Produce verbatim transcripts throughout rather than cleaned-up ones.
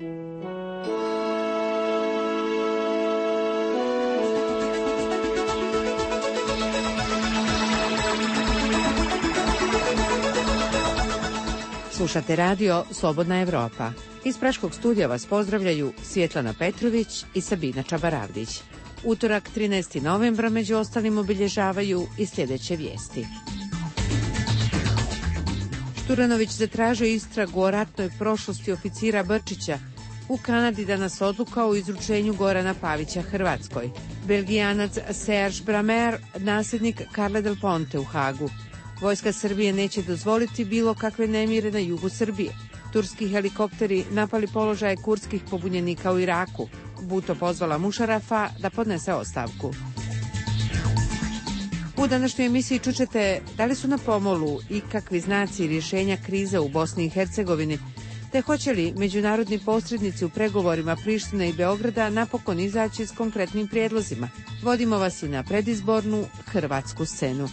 Slušate radio Slobodna Evropa. Iz Praškog studija vas pozdravljaju Svjetlana Petrović i Sabina Čabaravdić. Utorak trinaestog novembra među ostalim obilježavaju i sljedeće vijesti. Šturanović zatražio istragu o ratnoj prošlosti oficira Brčića. U Kanadi danas odluka o izručenju Gorana Pavića Hrvatskoj. Belgijanac Serge Bramer, nasljednik Carle del Ponte u Hagu. Vojska Srbije neće dozvoliti bilo kakve nemire na jugu Srbije. Turski helikopteri napali položaje kurdskih pobunjenika u Iraku. Bhutto pozvala Mušarafa da podnese ostavku. U današnjoj emisiji čućete da li su na pomolu ikakvi znaci rješenja krize u Bosni i Hercegovini, te hoće li međunarodni posrednici u pregovorima Prištine i Beograda napokon izaći s konkretnim prijedlozima. Vodimo vas i na predizbornu hrvatsku scenu.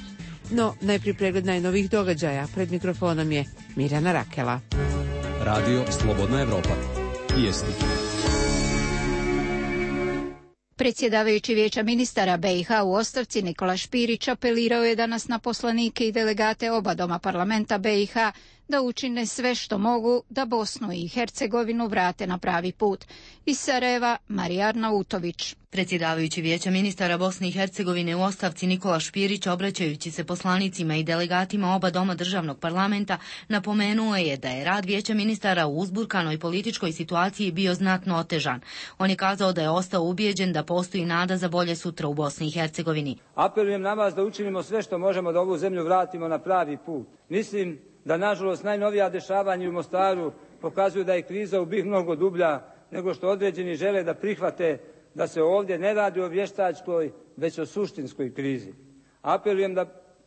No, najprije pregled najnovih događaja. Pred mikrofonom je Mirjana Rakela. Radio Slobodna Evropa. Vijesti. Predsjedavajući Vijeća ministara B i H u ostavci Nikola Špirić apelirao je danas na poslanike i delegate oba doma parlamenta B i H da učine sve što mogu da Bosnu i Hercegovinu vrate na pravi put. Iz Sarajeva, Marija Arnautović. Predsjedavajući Vijeća ministara Bosne i Hercegovine u ostavci Nikola Špirić, obraćajući se poslanicima i delegatima oba doma državnog parlamenta, napomenuo je da je rad Vijeća ministara u uzburkanoj političkoj situaciji bio znatno otežan. On je kazao da je ostao ubijeđen da postoji nada za bolje sutra u Bosni i Hercegovini. Apelujem na vas da učinimo sve što možemo da ovu zemlju vratimo na pravi put. Mislim da, nažalost, najnovija dešavanja u Mostaru pokazuju da je kriza u BiH mnogo dublja nego što određeni žele da prihvate da se ovdje ne radi o vještačkoj, već o suštinskoj krizi. Apelujem da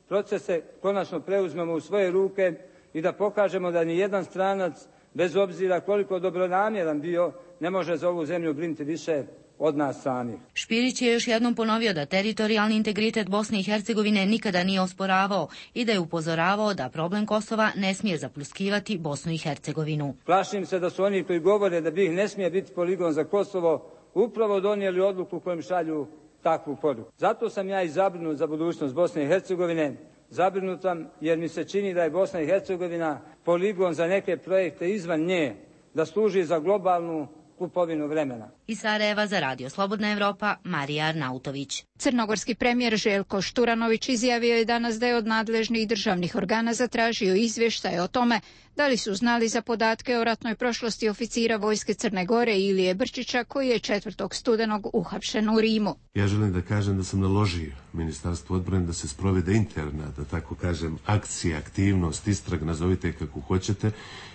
procese konačno preuzmemo u svoje ruke i da pokažemo da ni jedan stranac, bez obzira koliko dobronamjeran bio, ne može za ovu zemlju brinuti više od nas samih. Špirić je još jednom ponovio da teritorijalni integritet Bosne i Hercegovine nikada nije osporavao i da je upozoravao da problem Kosova ne smije zapluskivati Bosnu i Hercegovinu. Plašim se da su oni koji govore da BiH ne smije biti poligon za Kosovo upravo donijeli odluku kojom šalju takvu poruku. Zato sam ja i zabrinut za budućnost Bosne i Hercegovine. Zabrinut sam jer mi se čini da je Bosna i Hercegovina poligon za neke projekte izvan nje, da služi za globalnu kupovinu vremena. Iz Sarajeva za Radio Slobodna Evropa, Marija Arnautović. Crnogorski premijer Željko Šturanović izjavio je danas da je od nadležnih državnih organa zatražio izvještaje o tome da li su znali za podatke o ratnoj prošlosti oficira vojske Crne Gore Ilije Brčića, koji je četvrtog studenog uhapšen u Rimu. Ja želim da kažem da sam naložio Ministarstvu odbrane da se sprovede interna, da tako kažem, akcija, aktivnost, istrag, nazovite kako hoćete,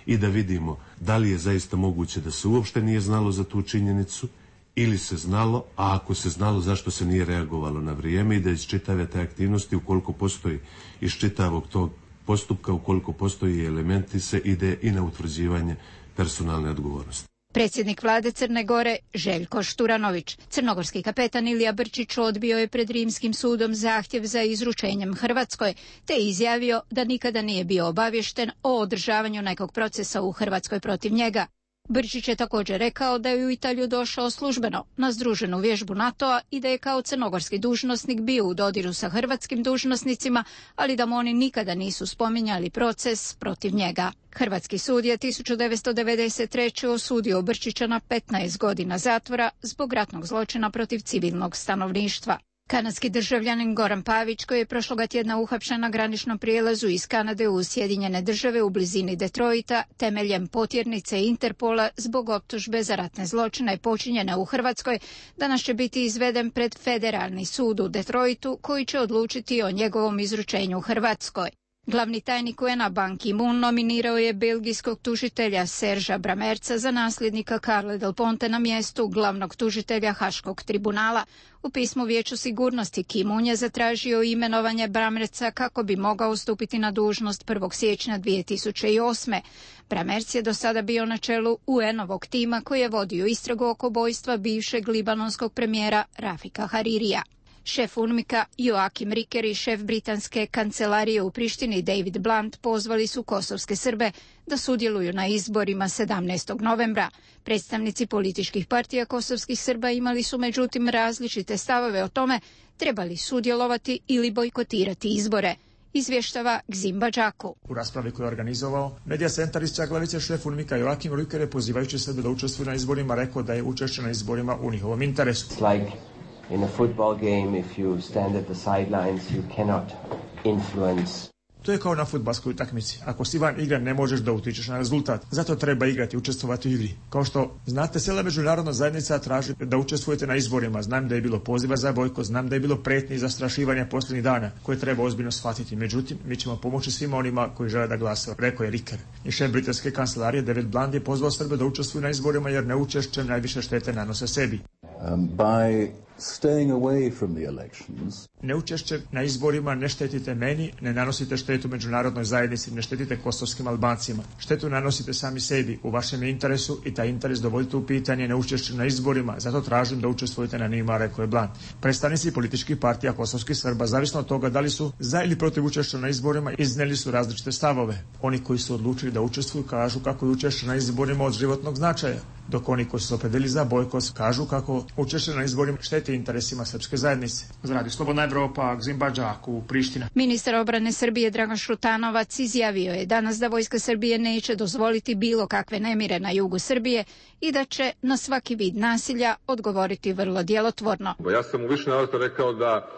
i da vidimo da li je zaista moguće da se uopšte nije znalo za tu činjenicu ili se znalo, a ako se znalo zašto se nije reagovalo na vrijeme, i da iz čitave te aktivnosti, ukoliko postoji iz čitavog tog postupka, ukoliko postoji elementi, se ide i na utvrđivanje personalne odgovornosti. Predsjednik vlade Crne Gore Željko Šturanović. Crnogorski kapetan Ilija Brčić odbio je pred Rimskim sudom zahtjev za izručenjem Hrvatskoj, te izjavio da nikada nije bio obavješten o održavanju nekog procesa u Hrvatskoj protiv njega. Brčić je također rekao da je u Italiju došao službeno na združenu vježbu NATO-a i da je kao crnogorski dužnosnik bio u dodiru sa hrvatskim dužnosnicima, ali da mu oni nikada nisu spominjali proces protiv njega. Hrvatski sud je tisuću devetsto devedeset treće osudio Brčića na petnaest godina zatvora zbog ratnog zločina protiv civilnog stanovništva. Kanadski državljanin Goran Pavić, koji je prošloga tjedna uhapšen na graničnom prijelazu iz Kanade u Sjedinjene države u blizini Detroita temeljem potjernice Interpola zbog optužbe za ratne zločine počinjene u Hrvatskoj, danas će biti izveden pred Federalni sud u Detroitu, koji će odlučiti o njegovom izručenju Hrvatskoj. Glavni tajnik U N A Ban Ki-moon nominirao je belgijskog tužitelja Serža Bramerca za nasljednika Carle del Ponte na mjestu glavnog tužitelja Haškog tribunala. U pismu Vijeću sigurnosti Ki-moon je zatražio imenovanje Bramerca kako bi mogao stupiti na dužnost prvog siječnja dvije tisuće osme. Bramerc je do sada bio na čelu U N-ovog tima koji je vodio istragu oko ubojstva bivšeg libanonskog premijera Rafika Haririja. Šef UNMIK-a Joakim Riker i šef britanske kancelarije u Prištini David Blunt pozvali su kosovske Srbe da sudjeluju na izborima sedamnaestog novembra. Predstavnici političkih partija kosovskih Srba imali su međutim različite stavove o tome treba li sudjelovati ili bojkotirati izbore. Izvještava Gzimba Đaku. U raspravi koju je organizovao Medija centar iz Čaglavice, šef UNMIK-a Joakim Riker je pozivajući Srbe da učestvuju na izborima rekao da je učešće na izborima u njihovom interesu. Like in a football game, if you stand at the sidelines, you cannot influence. To je kao na fudbalskoj utakmici. Ako si van igre, ne možeš da utičeš na rezultat. Zato treba igrati, učestvovati u igri. Kao što znate, cijela međunarodna zajednica traži da učestvujete na izborima. Znam da je bilo poziva za bojkot, znam da je bilo pretnji i zastrašivanja posljednjih dana koje treba ozbiljno shvatiti. Međutim, mi ćemo pomoći svima onima koji žele da glasaju, rekao je Riker. I šef britanske kancelarije David Blunt je pozvao Srbe da učestvuju na izborima jer neučešćem najviše štete nanose sebi. Um, by staying away from the elections. Neučešće na izborima ne štetite meni, ne nanosite štetu međunarodnoj zajednici, ne štetite kosovskim Albancima. Štetu nanosite sami sebi, u vašem interesu i taj interes dovodite u pitanje neučešće na izborima, zato tražim da učestvujete na njima, rekao je Blunt. Predstavnici političkih partija kosovskih Srba, zavisno od toga da li su za ili protiv učešća na izborima, iznijeli su različite stavove. Oni koji su odlučili da učestvuju kažu kako je učešće na izborima od životnog značaja, dok oni koji su se opredelili za bojkot kažu kako učešće na izborima šteti interesima srpske zajednice. Za Radio Slobodna Evropa, Gzimba Đaku, Priština. Ministar obrane Srbije Dragan Šutanovac izjavio je danas da vojska Srbije neće dozvoliti bilo kakve nemire na jugu Srbije i da će na svaki vid nasilja odgovoriti vrlo djelotvorno. Ja sam u više navrata rekao da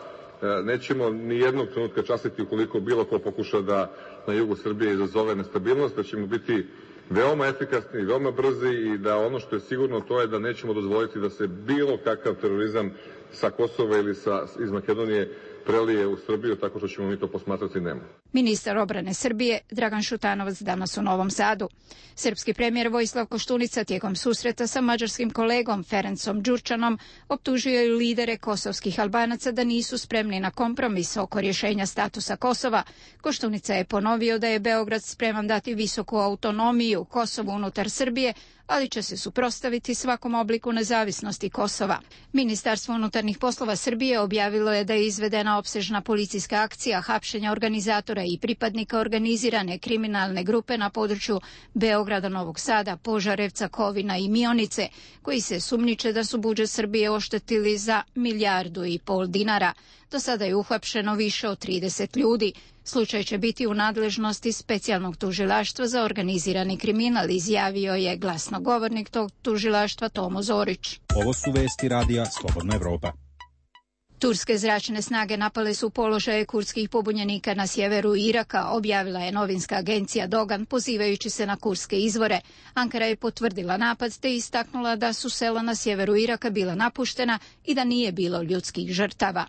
nećemo ni jednog trenutka častiti ukoliko bilo ko pokuša da na jugu Srbije izazove nestabilnost, da ćemo biti veoma efikasni i veoma brzi i da ono što je sigurno to je da nećemo dozvoliti da se bilo kakav terorizam sa Kosova ili sa, iz Makedonije prelije u Srbiju, tako što ćemo mi to posmatrati nema. Ministar obrane Srbije Dragan Šutanovac danas u Novom Sadu. Srpski premijer Vojislav Koštunica tijekom susreta sa mađarskim kolegom Ferencom Đurčanom optužio je lidere kosovskih Albanaca da nisu spremni na kompromis oko rješenja statusa Kosova. Koštunica je ponovio da je Beograd spreman dati visoku autonomiju Kosovu unutar Srbije, ali će se suprotstaviti svakom obliku nezavisnosti Kosova. Ministarstvo unutarnjih poslova Srbije objavilo je da je izvedena opsežna policijska akcija hapšenja organizatora i pripadnika organizirane kriminalne grupe na području Beograda, Novog Sada, Požarevca, Kovina i Mionice, koji se sumnjiče da su budžet Srbije oštetili za milijardu i pol dinara. Do sada je uhapšeno više od trideset ljudi. Slučaj će biti u nadležnosti specijalnog tužilaštva za organizirani kriminal, izjavio je glasnogovornik tog tužilaštva Tomo Zorić. Ovo su vesti radija Slobodna Evropa. Turske zračne snage napale su položaje kurdskih pobunjenika na sjeveru Iraka, objavila je novinska agencija Dogan, pozivajući se na kurdske izvore. Ankara je potvrdila napad te istaknula da su sela na sjeveru Iraka bila napuštena i da nije bilo ljudskih žrtava.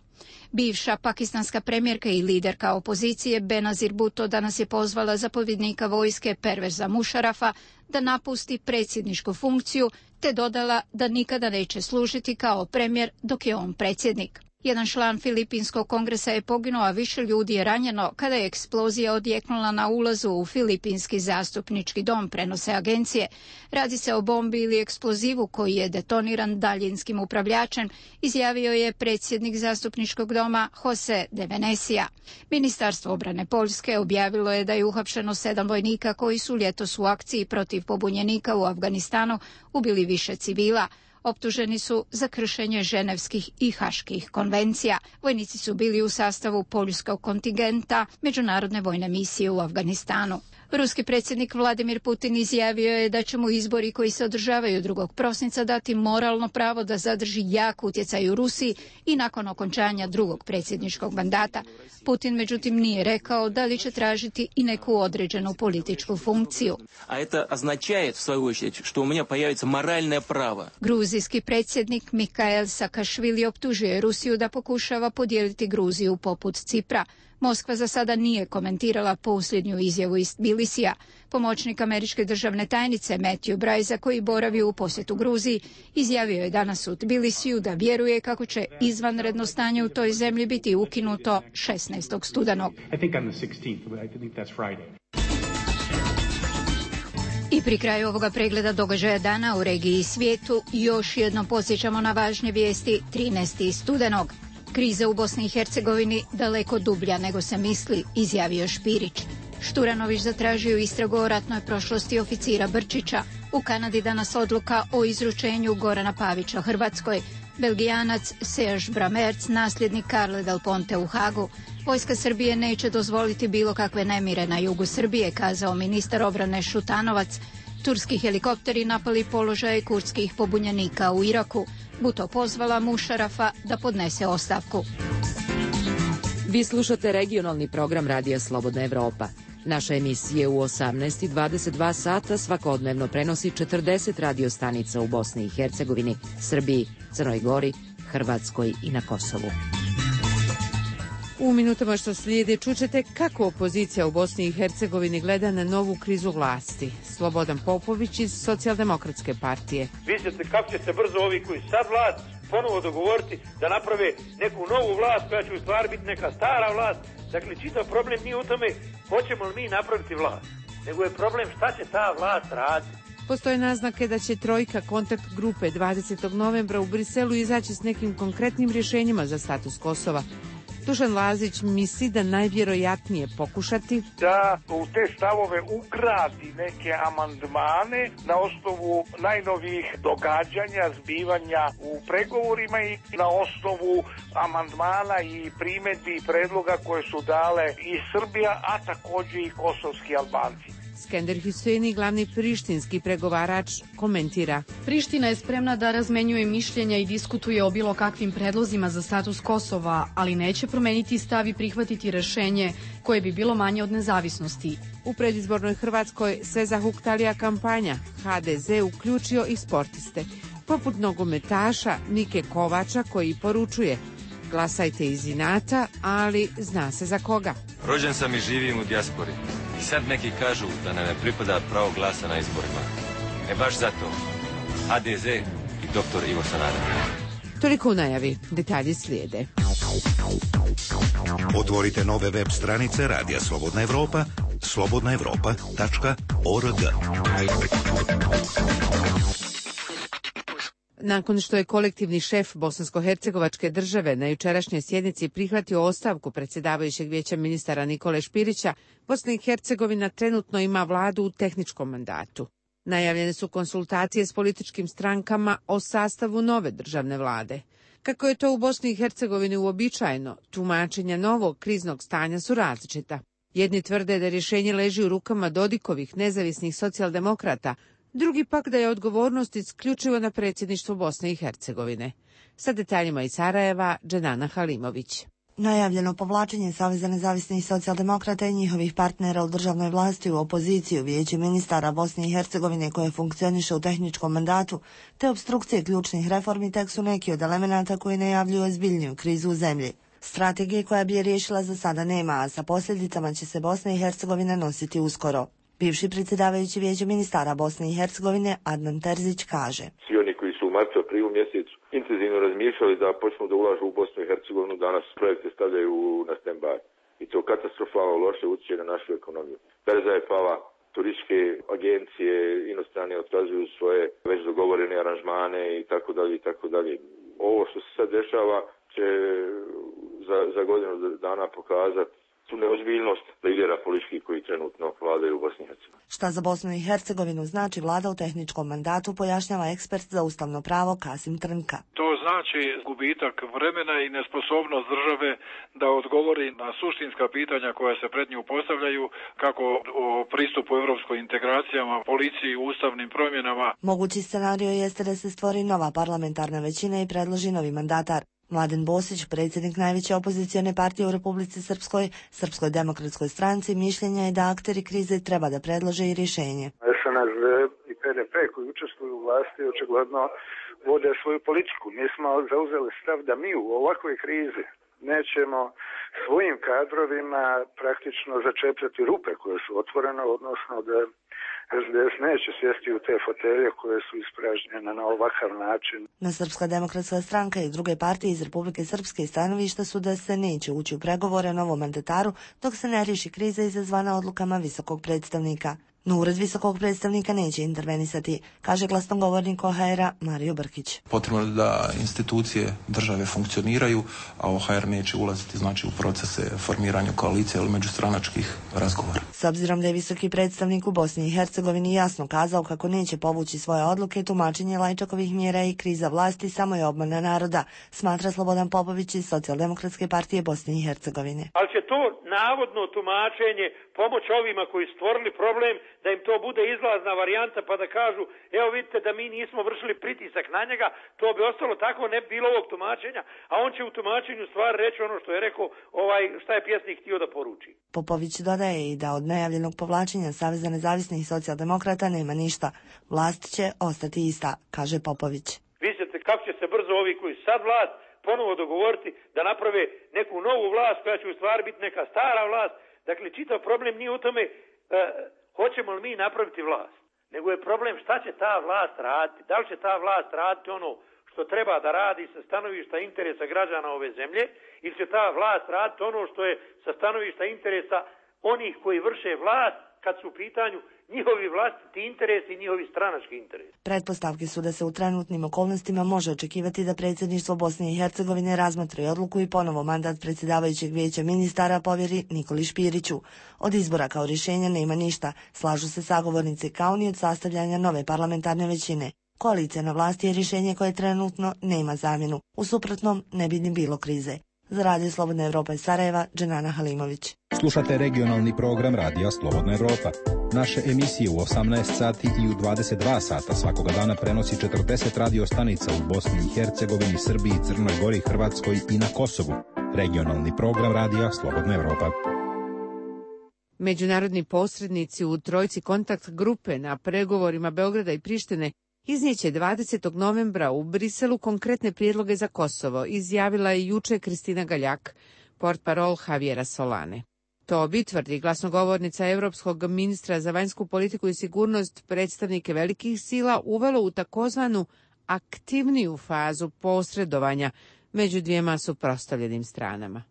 Bivša pakistanska premijerka i liderka opozicije Benazir Bhutto danas je pozvala zapovjednika vojske Perveza Mušarafa da napusti predsjedničku funkciju, te dodala da nikada neće služiti kao premijer dok je on predsjednik. Jedan član Filipinskog kongresa je poginuo, a više ljudi je ranjeno kada je eksplozija odjeknula na ulazu u Filipinski zastupnički dom, prenose agencije. Radi se o bombi ili eksplozivu koji je detoniran daljinskim upravljačem, izjavio je predsjednik zastupničkog doma Jose de Venecia. Ministarstvo obrane Poljske objavilo je da je uhapšeno sedam vojnika koji su ljetos u akciji protiv pobunjenika u Afganistanu ubili više civila. Optuženi su za kršenje ženevskih i haških konvencija. Vojnici su bili u sastavu poljskog kontingenta međunarodne vojne misije u Afganistanu. Ruski predsjednik Vladimir Putin izjavio je da će mu izbori koji se održavaju drugog prosinca dati moralno pravo da zadrži jak utjecaj u Rusiji i nakon okončanja drugog predsjedničkog mandata. Putin međutim nije rekao da li će tražiti i neku određenu političku funkciju. A to označuje, v svoju очередь, što u mene pojavится moralno pravo. Gruzijski predsjednik Mikhail Saakašvili optužuje Rusiju da pokušava podijeliti Gruziju poput Cipra. Moskva za sada nije komentirala posljednju izjavu iz Tbilisija. Pomoćnik američke državne tajnice Matthew Brajza, koji boravi u posjetu Gruziji, izjavio je danas u Tbilisiju da vjeruje kako će izvanredno stanje u toj zemlji biti ukinuto šesnaestog studenog. I pri kraju ovoga pregleda događaja dana u regiji i svijetu još jednom podsjećamo na važne vijesti trinaestog studenog. Kriza u Bosni i Hercegovini daleko dublja nego se misli, izjavio Špirić. Šturanović zatražio istragu o ratnoj prošlosti oficira Brčića. U Kanadi danas odluka o izručenju Gorana Pavića Hrvatskoj. Belgijanac Serge Bramerc, nasljednik Carle Del Ponte u Hagu. Vojska Srbije neće dozvoliti bilo kakve nemire na jugu Srbije, kazao ministar obrane Šutanovac. Turski helikopteri napali položaje kurdskih pobunjenika u Iraku. Buto pozvala Mušarafa da podnese ostavku. Vi slušate regionalni program Radija Slobodna Evropa. Naša emisija u osamnaest i dvadeset dva sata svakodnevno prenosi četrdeset radio stanica u Bosni i Hercegovini, Srbiji, Crnoj Gori, Hrvatskoj i na Kosovu. U minutama što slijede čućete kako opozicija u Bosni i Hercegovini gleda na novu krizu vlasti. Slobodan Popović iz Socijaldemokratske partije. Vidite kako će se brzo ovi koji sad vlast ponovo dogovoriti da naprave neku novu vlast koja će u stvari biti neka stara vlast. Dakle, čitav problem nije u tome hoćemo li mi napraviti vlast, nego je problem šta će ta vlast raditi. Postoje naznake da će trojka kontakt grupe dvadesetog novembra u Briselu izaći s nekim konkretnim rješenjima za status Kosova. Dušan Lazić misli da najvjerojatnije pokušati da u te stavove ugradi neke amandmane na osnovu najnovijih događanja, zbivanja u pregovorima i na osnovu amandmana i primjedbi i predloga koje su dale i Srbija, a također i kosovski Albanci. Skender Huseni, glavni prištinski pregovarač, komentira. Priština je spremna da razmenjuje mišljenja i diskutuje o bilo kakvim predlozima za status Kosova, ali neće promeniti stav i prihvatiti rešenje koje bi bilo manje od nezavisnosti. U predizbornoj Hrvatskoj sve zahuktalija kampanja. ha de ze uključio i sportiste, poput nogometaša Nike Kovača koji poručuje: glasajte iz inata, ali zna se za koga. Rođen sam i živim u dijaspori. I sad neki kažu da nam ne pripada pravo glasa na izborima. E baš zato ha de ze i doktor Ivo Sanader. Toliko u najavi, detalji slijede. Otvorite nove web stranice Radija Slobodna Evropa, slobodna evropa tačka org. Nakon što je kolektivni šef Bosansko-hercegovačke države na jučerašnjoj sjednici prihvatio ostavku predsjedavajućeg vijeća ministara Nikole Špirića, Bosna i Hercegovina trenutno ima vladu u tehničkom mandatu. Najavljene su konsultacije s političkim strankama o sastavu nove državne vlade. Kako je to u Bosni i Hercegovini uobičajeno, tumačenja novog kriznog stanja su različita. Jedni tvrde da rješenje leži u rukama Dodikovih nezavisnih socijaldemokrata, drugi pak da je odgovornost isključivo na predsjedništvu Bosne i Hercegovine. Sa detaljima iz Sarajeva, Dženana Halimović. Najavljeno povlačenje Saveza nezavisnih socijaldemokrata i njihovih partnera u državnoj vlasti u opoziciju vijeće ministara Bosne i Hercegovine koje funkcioniše u tehničkom mandatu, te obstrukcije ključnih reformi tek su neki od elemenata koji najavljuju ozbiljniju krizu u zemlji. Strategije koja bi je riješila za sada nema, a sa posljedicama će se Bosna i Hercegovina nositi uskoro. Bivši predsjedavajući vijeća ministara Bosne i Hercegovine Adnan Terzić kaže: Svi oni koji su u martu, aprilu mjesecu intenzivno razmišljali da počnu da ulažu u Bosnu i Hercegovinu, danas projekte stavljaju na stand-by. I to katastrofalno loše utječe na našu ekonomiju. Berza je pala, turističke agencije inostrane otkazuju svoje već dogovorene aranžmane i tako dalje i tako dalje. Ovo što se sad dešava će za, za godinu dana pokazati tu neozbiljnost lidera političkih koji trenutno vladaju u Bosni i Hercegovini. Šta za Bosnu i Hercegovinu znači vlada u tehničkom mandatu, pojašnjava ekspert za ustavno pravo Kasim Trnka. To znači gubitak vremena i nesposobnost države da odgovori na suštinska pitanja koja se pred nju postavljaju, kako o pristupu evropskoj integracijama, policiji, ustavnim promjenama. Mogući scenario jeste da se stvori nova parlamentarna većina i predloži novi mandatar. Mladen Bosić, predsjednik najveće opozicione partije u Republici Srpskoj, Srpskoj demokratskoj stranci, mišljenja je da akteri krize treba da predlože i rješenje. es en es de i pe de pe koji učestvuju u vlasti očigledno vode svoju politiku. Mi smo zauzeli stav da mi u ovakvoj krizi nećemo svojim kadrovima praktično začepljati rupe koje su otvorene, odnosno da es de es neće sjesti u te fotelje koje su ispražnjene na ovakav način. Na Srpska demokratska stranka i druge partije iz Republike Srpske stanovišta su da se neće ući u pregovore o novom mandataru dok se ne riješi kriza izazvana odlukama visokog predstavnika. No ured visokog predstavnika neće intervenisati, kaže glasnogovornik O H R-a Mario Brkić. Potrebno je da institucije države funkcioniraju, a O H R neće ulaziti znači u procese formiranja koalicije ili međustranačkih razgovora. S obzirom da je visoki predstavnik u Bosni i Hercegovini jasno kazao kako neće povući svoje odluke, tumačenje Lajčakovih mjera i kriza vlasti samo je obmana naroda, smatra Slobodan Popović iz Socijaldemokratske partije Bosne i Hercegovine. Ali će to navodno tumačenje pomoć ovima koji stvorili problem, da im to bude izlazna varijanta pa da kažu, evo vidite da mi nismo vršili pritisak na njega, to bi ostalo tako, ne bi bilo ovog tumačenja, a on će u tumačenju stvar reći ono što je rekao, ovaj, šta je pjesnik htio da poruči. Popović dodaje i da od najavljenog povlačenja Saveza nezavisnih socijaldemokrata nema ništa. Vlast će ostati ista, kaže Popović. Vidite kako će se brzo ovi koji sad vlast ponovo dogovoriti da naprave neku novu vlast koja će u stvari biti neka stara vlast. Dakle, čitav problem nije u tome e, hoćemo li mi napraviti vlast, nego je problem šta će ta vlast raditi. Da li će ta vlast raditi ono što treba da radi sa stanovišta interesa građana ove zemlje ili će ta vlast raditi ono što je sa stanovišta interesa onih koji vrše vlast kad su u pitanju njihovi vlastiti interesi i njihovi stranački interesi. Pretpostavke su da se u trenutnim okolnostima može očekivati da predsjedništvo Bosne i Hercegovine razmotri odluku i ponovo mandat predsjedavajućeg vijeća ministara povjeri Nikoli Špiriću. Od izbora kao rješenja nema ništa, slažu se sagovornici, kao ni od sastavljanja nove parlamentarne većine. Koalicija na vlasti je rješenje koje trenutno nema zamjenu. U suprotnom ne bi ni bilo krize. Za Radio Slobodna Evropa iz Sarajeva, Dženana Halimović. Slušate regionalni program Radija Slobodna Evropa. Naše emisije u osamnaest sati i u dvadeset dva sata svakoga dana prenosi četrdeset radio stanica u Bosni i Hercegovini, Srbiji, Crnoj Gori, Hrvatskoj i na Kosovu. Regionalni program Radija Slobodna Evropa. Međunarodni posrednici u trojci kontakt grupe na pregovorima Beograda i Prištine iznijeće dvadesetog novembra u Briselu konkretne prijedloge za Kosovo, izjavila je juče Kristina Galjak, portparol Javiera Solane. To bi, tvrdi glasnogovornica Europskog ministra za vanjsku politiku i sigurnost, predstavnike velikih sila uvelo u takozvanu aktivniju fazu posredovanja među dvijema suprotstavljenim stranama.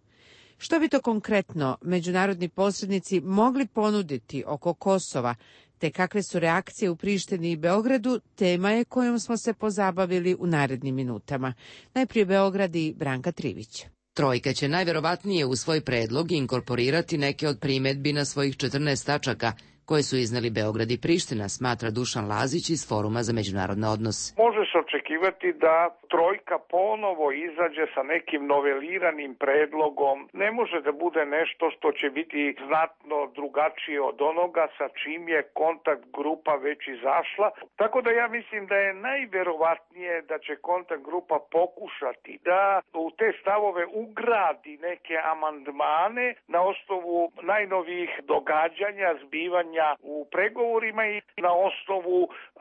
Što bi to konkretno međunarodni posrednici mogli ponuditi oko Kosova, te kakve su reakcije u Prištini i Beogradu, tema je kojom smo se pozabavili u narednim minutama. Najprije Beograd i Branka Trivić. Trojka će najverovatnije u svoj predlog inkorporirati neke od primjedbi na svojih četrnaest tačaka koje su izneli Beograd i Priština, smatra Dušan Lazić iz Foruma za međunarodne odnose. Može se očekivati da trojka ponovo izađe sa nekim noveliranim predlogom. Ne može da bude nešto što će biti znatno drugačije od onoga sa čim je kontakt grupa već izašla. Tako da ja mislim da je najverovatnije da će kontakt grupa pokušati da u te stavove ugradi neke amandmane na osnovu najnovijih događanja, zbivanja u pregovorima i na osnovu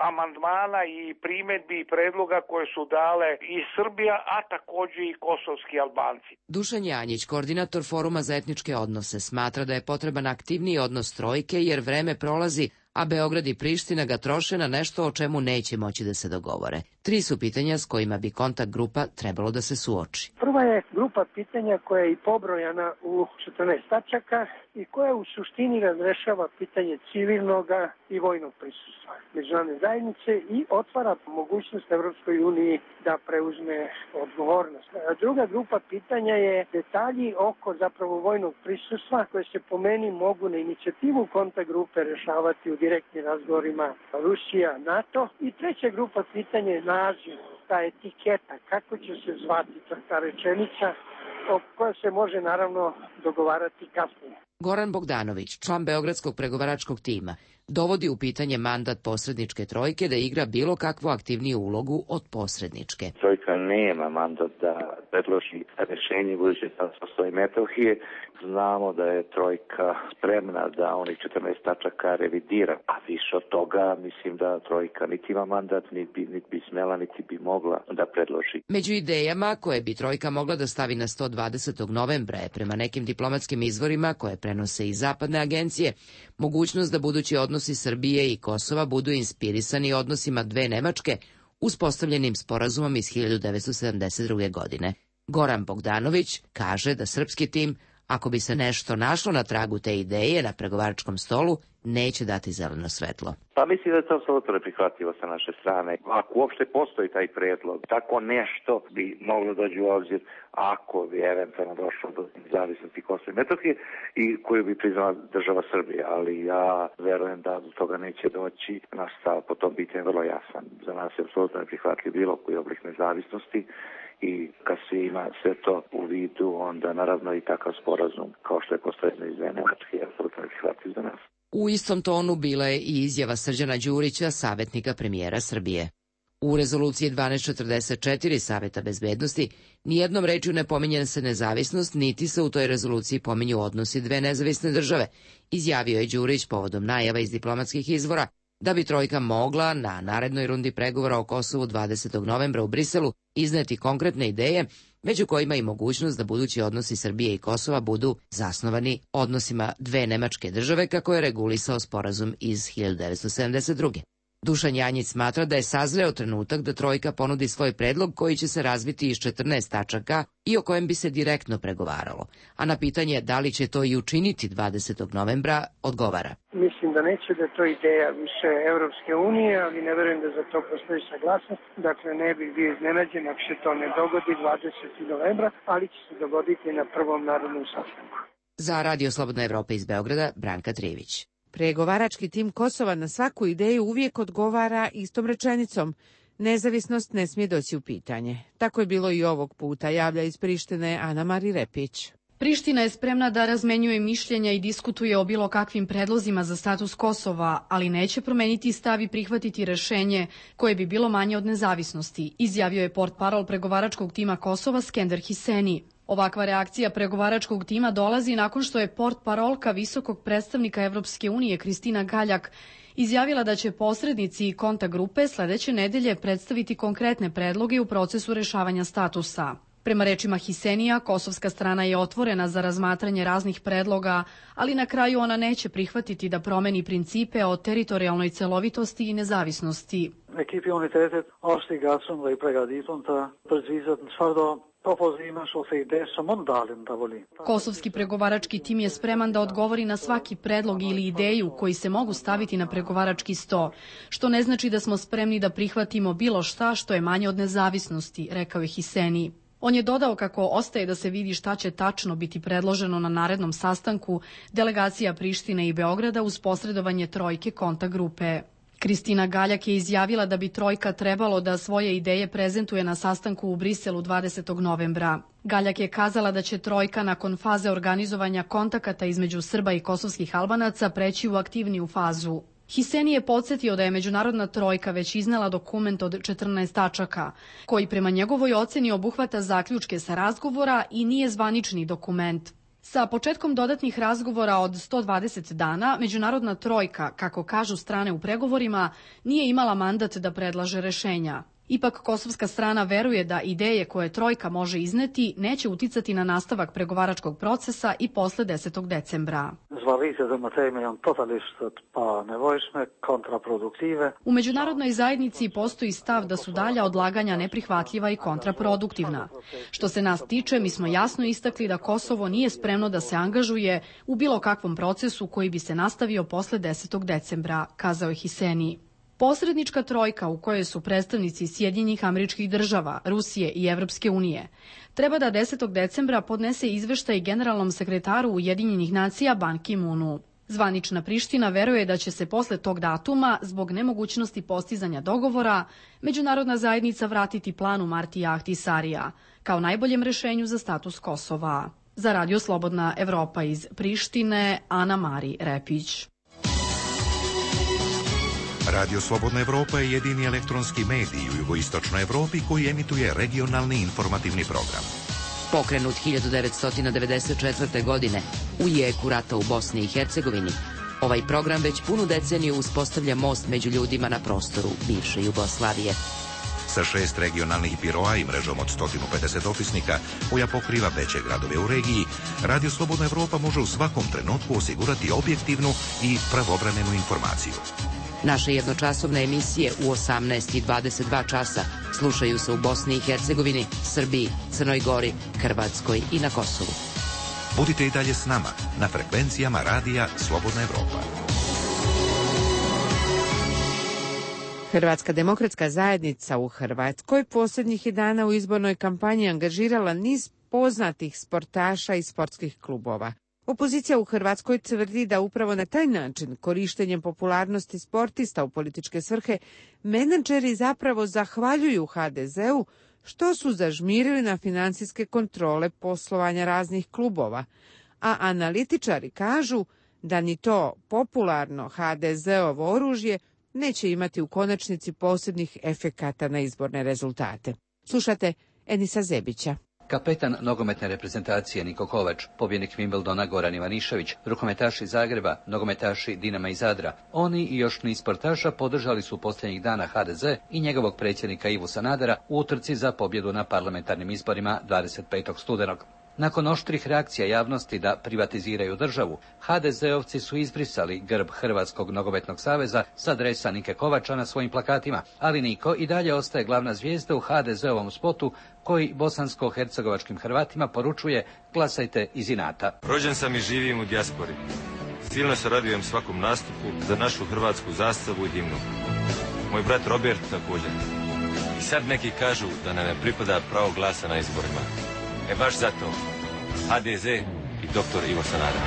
amandmana i primjedbi i predloga koje su dale i Srbija, a također i kosovski Albanci. Dušan Janjić, koordinator Foruma za etničke odnose, smatra da je potreban aktivniji odnos trojke jer vreme prolazi, a Beograd i Priština ga troše na nešto o čemu neće moći da se dogovore. Tri su pitanja s kojima bi kontakt grupa trebalo da se suoči. Prva je grupa pitanja koja je i pobrojana u četrnaest tačaka i koja u suštini razrešava pitanje civilnog i vojnog prisustva međunarodne zajednice i otvara mogućnost Evropskoj uniji da preuzme odgovornost. Druga grupa pitanja je detalji oko zapravo vojnog prisustva koje se po meni mogu na inicijativu kontakt grupe rešavati u direktnim razgovorima Rusija, NATO. I treća grupa pitanja je naziv, ta etiketa, kako će se zvati ta rečenica o kojoj se može naravno dogovarati kasnije. Goran Bogdanović, član Beogradskog pregovaračkog tima, dovodi u pitanje mandat posredničke trojke da igra bilo kakvu aktivniju ulogu od posredničke. Trojka nema mandat da predloži rješenje buduće statusnosti Metohije. Znamo da je trojka spremna da onih četrnaest tačaka revidira, a više od toga mislim da trojka niti ima mandat, niti bi, niti bi smela, niti bi mogla da predloži. Među idejama koje bi trojka mogla da stavi na sto dvadesetog novembra je prema nekim diplomatskim izvorima koje prenose i zapadne agencije, mogućnost da budući odnosi Srbije i Kosova budu inspirisani odnosima dve Nemačke uspostavljenim sporazumom iz hiljadu devetsto sedamdeset druge. godine. Goran Bogdanović kaže da srpski tim, ako bi se nešto našlo na tragu te ideje na pregovaračkom stolu, neće dati zeleno svetlo. Pa mislim da je to apsolutno neprihvatljivo sa naše strane. Ako uopšte postoji taj predlog, tako nešto bi moglo doći u obzir ako bi eventualno došlo do nezavisnosti Kosova i Metohije i koju bi priznala država Srbije, ali ja verujem da do toga neće doći. Naš stav po tom pitanju je vrlo jasan. Za nas je apsolutno neprihvatljiv bilo koji oblik nezavisnosti i kad se ima sve to u vidu, onda naravno i takav sporazum kao što je postavljeno iz Nemačke je apsolutno neprihvatljiv za nas. U istom tonu bila je i izjava Srđana Đurića, savjetnika premijera Srbije. U rezoluciji dvanaest četrdeset četiri Saveta bezbednosti nijednom rečju ne pominje se nezavisnost, niti se u toj rezoluciji pominju odnosi dve nezavisne države, izjavio je Đurić povodom najava iz diplomatskih izvora da bi trojka mogla na narednoj rundi pregovora o Kosovu dvadesetog novembra u Briselu izneti konkretne ideje, među kojima i mogućnost da budući odnosi Srbije i Kosova budu zasnovani odnosima dve nemačke države, kako je regulisao sporazum iz hiljadu devetsto sedamdeset druge. Dušan Janjić smatra da je sazreo trenutak da trojka ponudi svoj predlog koji će se razviti iz četrnaest tačaka i o kojem bi se direktno pregovaralo. A na pitanje da li će to i učiniti dvadesetog novembra odgovara. Mislim da neće, da je to ideja više Evropske unije, ali ne verujem da za to postoji saglasnost. Dakle, ne bih bio iznenađen ako se to ne dogodi dvadesetog novembra, ali će se dogoditi na prvom narodnom sastanku. Za Radio Slobodna Evropa iz Beograda, Branka Trivić. Pregovarački tim Kosova na svaku ideju uvijek odgovara istom rečenicom: nezavisnost ne smije doći u pitanje. Tako je bilo i ovog puta, javlja iz Prištine Ana Mari Repić. Priština je spremna da razmenjuje mišljenja i diskutuje o bilo kakvim predlozima za status Kosova, ali neće promeniti stav i prihvatiti rešenje koje bi bilo manje od nezavisnosti, izjavio je portparol pregovaračkog tima Kosova Skender Hiseni. Ovakva reakcija pregovaračkog tima dolazi nakon što je portparolka visokog predstavnika Evropske unije Kristina Galjak izjavila da će posrednici i kontakt grupe sledeće nedelje predstaviti konkretne predloge u procesu rešavanja statusa. Prema rečima Hisenija, kosovska strana je otvorena za razmatranje raznih predloga, ali na kraju ona neće prihvatiti da promeni principe o teritorijalnoj celovitosti i nezavisnosti. Ekipi-unitetet është i gatshëm dhe i përgatitur të përgjigjet në çfarëdo propozimesh ose ide që mund dalin në tavolinë. Kosovski pregovarački tim je spreman da odgovori na svaki predlog ili ideju koji se mogu staviti na pregovarački sto, što ne znači da smo spremni da prihvatimo bilo šta što je manje od nezavisnosti, rekao je Hiseni. On je dodao kako ostaje da se vidi šta će tačno biti predloženo na narednom sastanku delegacija Prištine i Beograda uz posredovanje trojke kontakt grupe. Kristina Galjak je izjavila da bi trojka trebalo da svoje ideje prezentuje na sastanku u Briselu dvadesetog novembra. Galjak je kazala da će trojka nakon faze organizovanja kontakata između Srba i kosovskih Albanaca preći u aktivniju fazu. Hiseni je podsjetio da je međunarodna trojka već iznela dokument od četrnaest tačaka, koji prema njegovoj oceni obuhvata zaključke sa razgovora i nije zvanični dokument. Sa početkom dodatnih razgovora od sto dvadeset dana, međunarodna trojka, kako kažu strane u pregovorima, nije imala mandat da predlaže rešenja. Ipak kosovska strana veruje da ideje koje trojka može izneti neće uticati na nastavak pregovaračkog procesa i posle desetog decembra. U međunarodnoj zajednici postoji stav da su dalja odlaganja neprihvatljiva i kontraproduktivna. Što se nas tiče, mi smo jasno istakli da Kosovo nije spremno da se angažuje u bilo kakvom procesu koji bi se nastavio posle desetog decembra, kazao je Hiseni. Posrednička trojka u kojoj su predstavnici Sjedinjenih Američkih Država, Rusije i Evropske unije treba da desetog decembra podnese izveštaj generalnom sekretaru Ujedinjenih nacija Ban Ki-moonu. Zvanična Priština veruje da će se posle tog datuma, zbog nemogućnosti postizanja dogovora, međunarodna zajednica vratiti planu Martija Ahtisarija kao najboljem rešenju za status Kosova. Za Radio Slobodna Evropa iz Prištine, Ana Mari Repić. Radio Slobodna Evropa je jedini elektronski medij u jugoistočnoj Evropi koji emituje regionalni informativni program. Pokrenut hiljadu devetsto devedeset četvrte. godine u jeku rata u Bosni i Hercegovini, ovaj program već punu deceniju uspostavlja most među ljudima na prostoru bivše Jugoslavije. Sa šest regionalnih biroa i mrežom od sto pedeset opisnika koja pokriva veće gradove u regiji, Radio Slobodna Evropa može u svakom trenutku osigurati objektivnu i pravovremenu informaciju. Naše jednočasovne emisije u osamnaest i dvadeset dva časa slušaju se u Bosni i Hercegovini, Srbiji, Crnoj Gori, Hrvatskoj i na Kosovu. Budite i dalje s nama na frekvencijama Radija Slobodna Evropa. Hrvatska demokratska zajednica u Hrvatskoj posljednjih je dana u izbornoj kampanji angažirala niz poznatih sportaša i sportskih klubova. Opozicija u Hrvatskoj tvrdi da upravo na taj način, korištenjem popularnosti sportista u političke svrhe, menadžeri zapravo zahvaljuju ha de zeu što su zažmirili na financijske kontrole poslovanja raznih klubova, a analitičari kažu da ni to popularno ha de zeovo oružje neće imati u konačnici posebnih efekata na izborne rezultate. Slušate Enisa Zebića. Kapetan nogometne reprezentacije Niko Kovač, pobjednik Wimbledona Goran Ivanišević, rukometaši Zagreba, nogometaši Dinama i Zadra. Oni i još niz sportaša podržali su posljednjih dana ha de ze i njegovog predsjednika Ivu Sanadera u utrci za pobjedu na parlamentarnim izborima dvadeset petog studenog. Nakon oštrih reakcija javnosti da privatiziraju državu, ha de zeovci su izbrisali grb Hrvatskog nogometnog saveza s adresa Nike Kovača na svojim plakatima, ali Niko i dalje ostaje glavna zvijezda u ha de zeovom spotu koji bosansko-hercegovačkim Hrvatima poručuje glasajte iz inata. Rođen sam i živim u dijaspori. Silno se radujem svakom nastupu za našu hrvatsku zastavu i himnu. Moj brat Robert također. I sad neki kažu da nam ne pripada pravo glasa na izborima. E baš zato, ha de ze i doktor Ivo Sanader.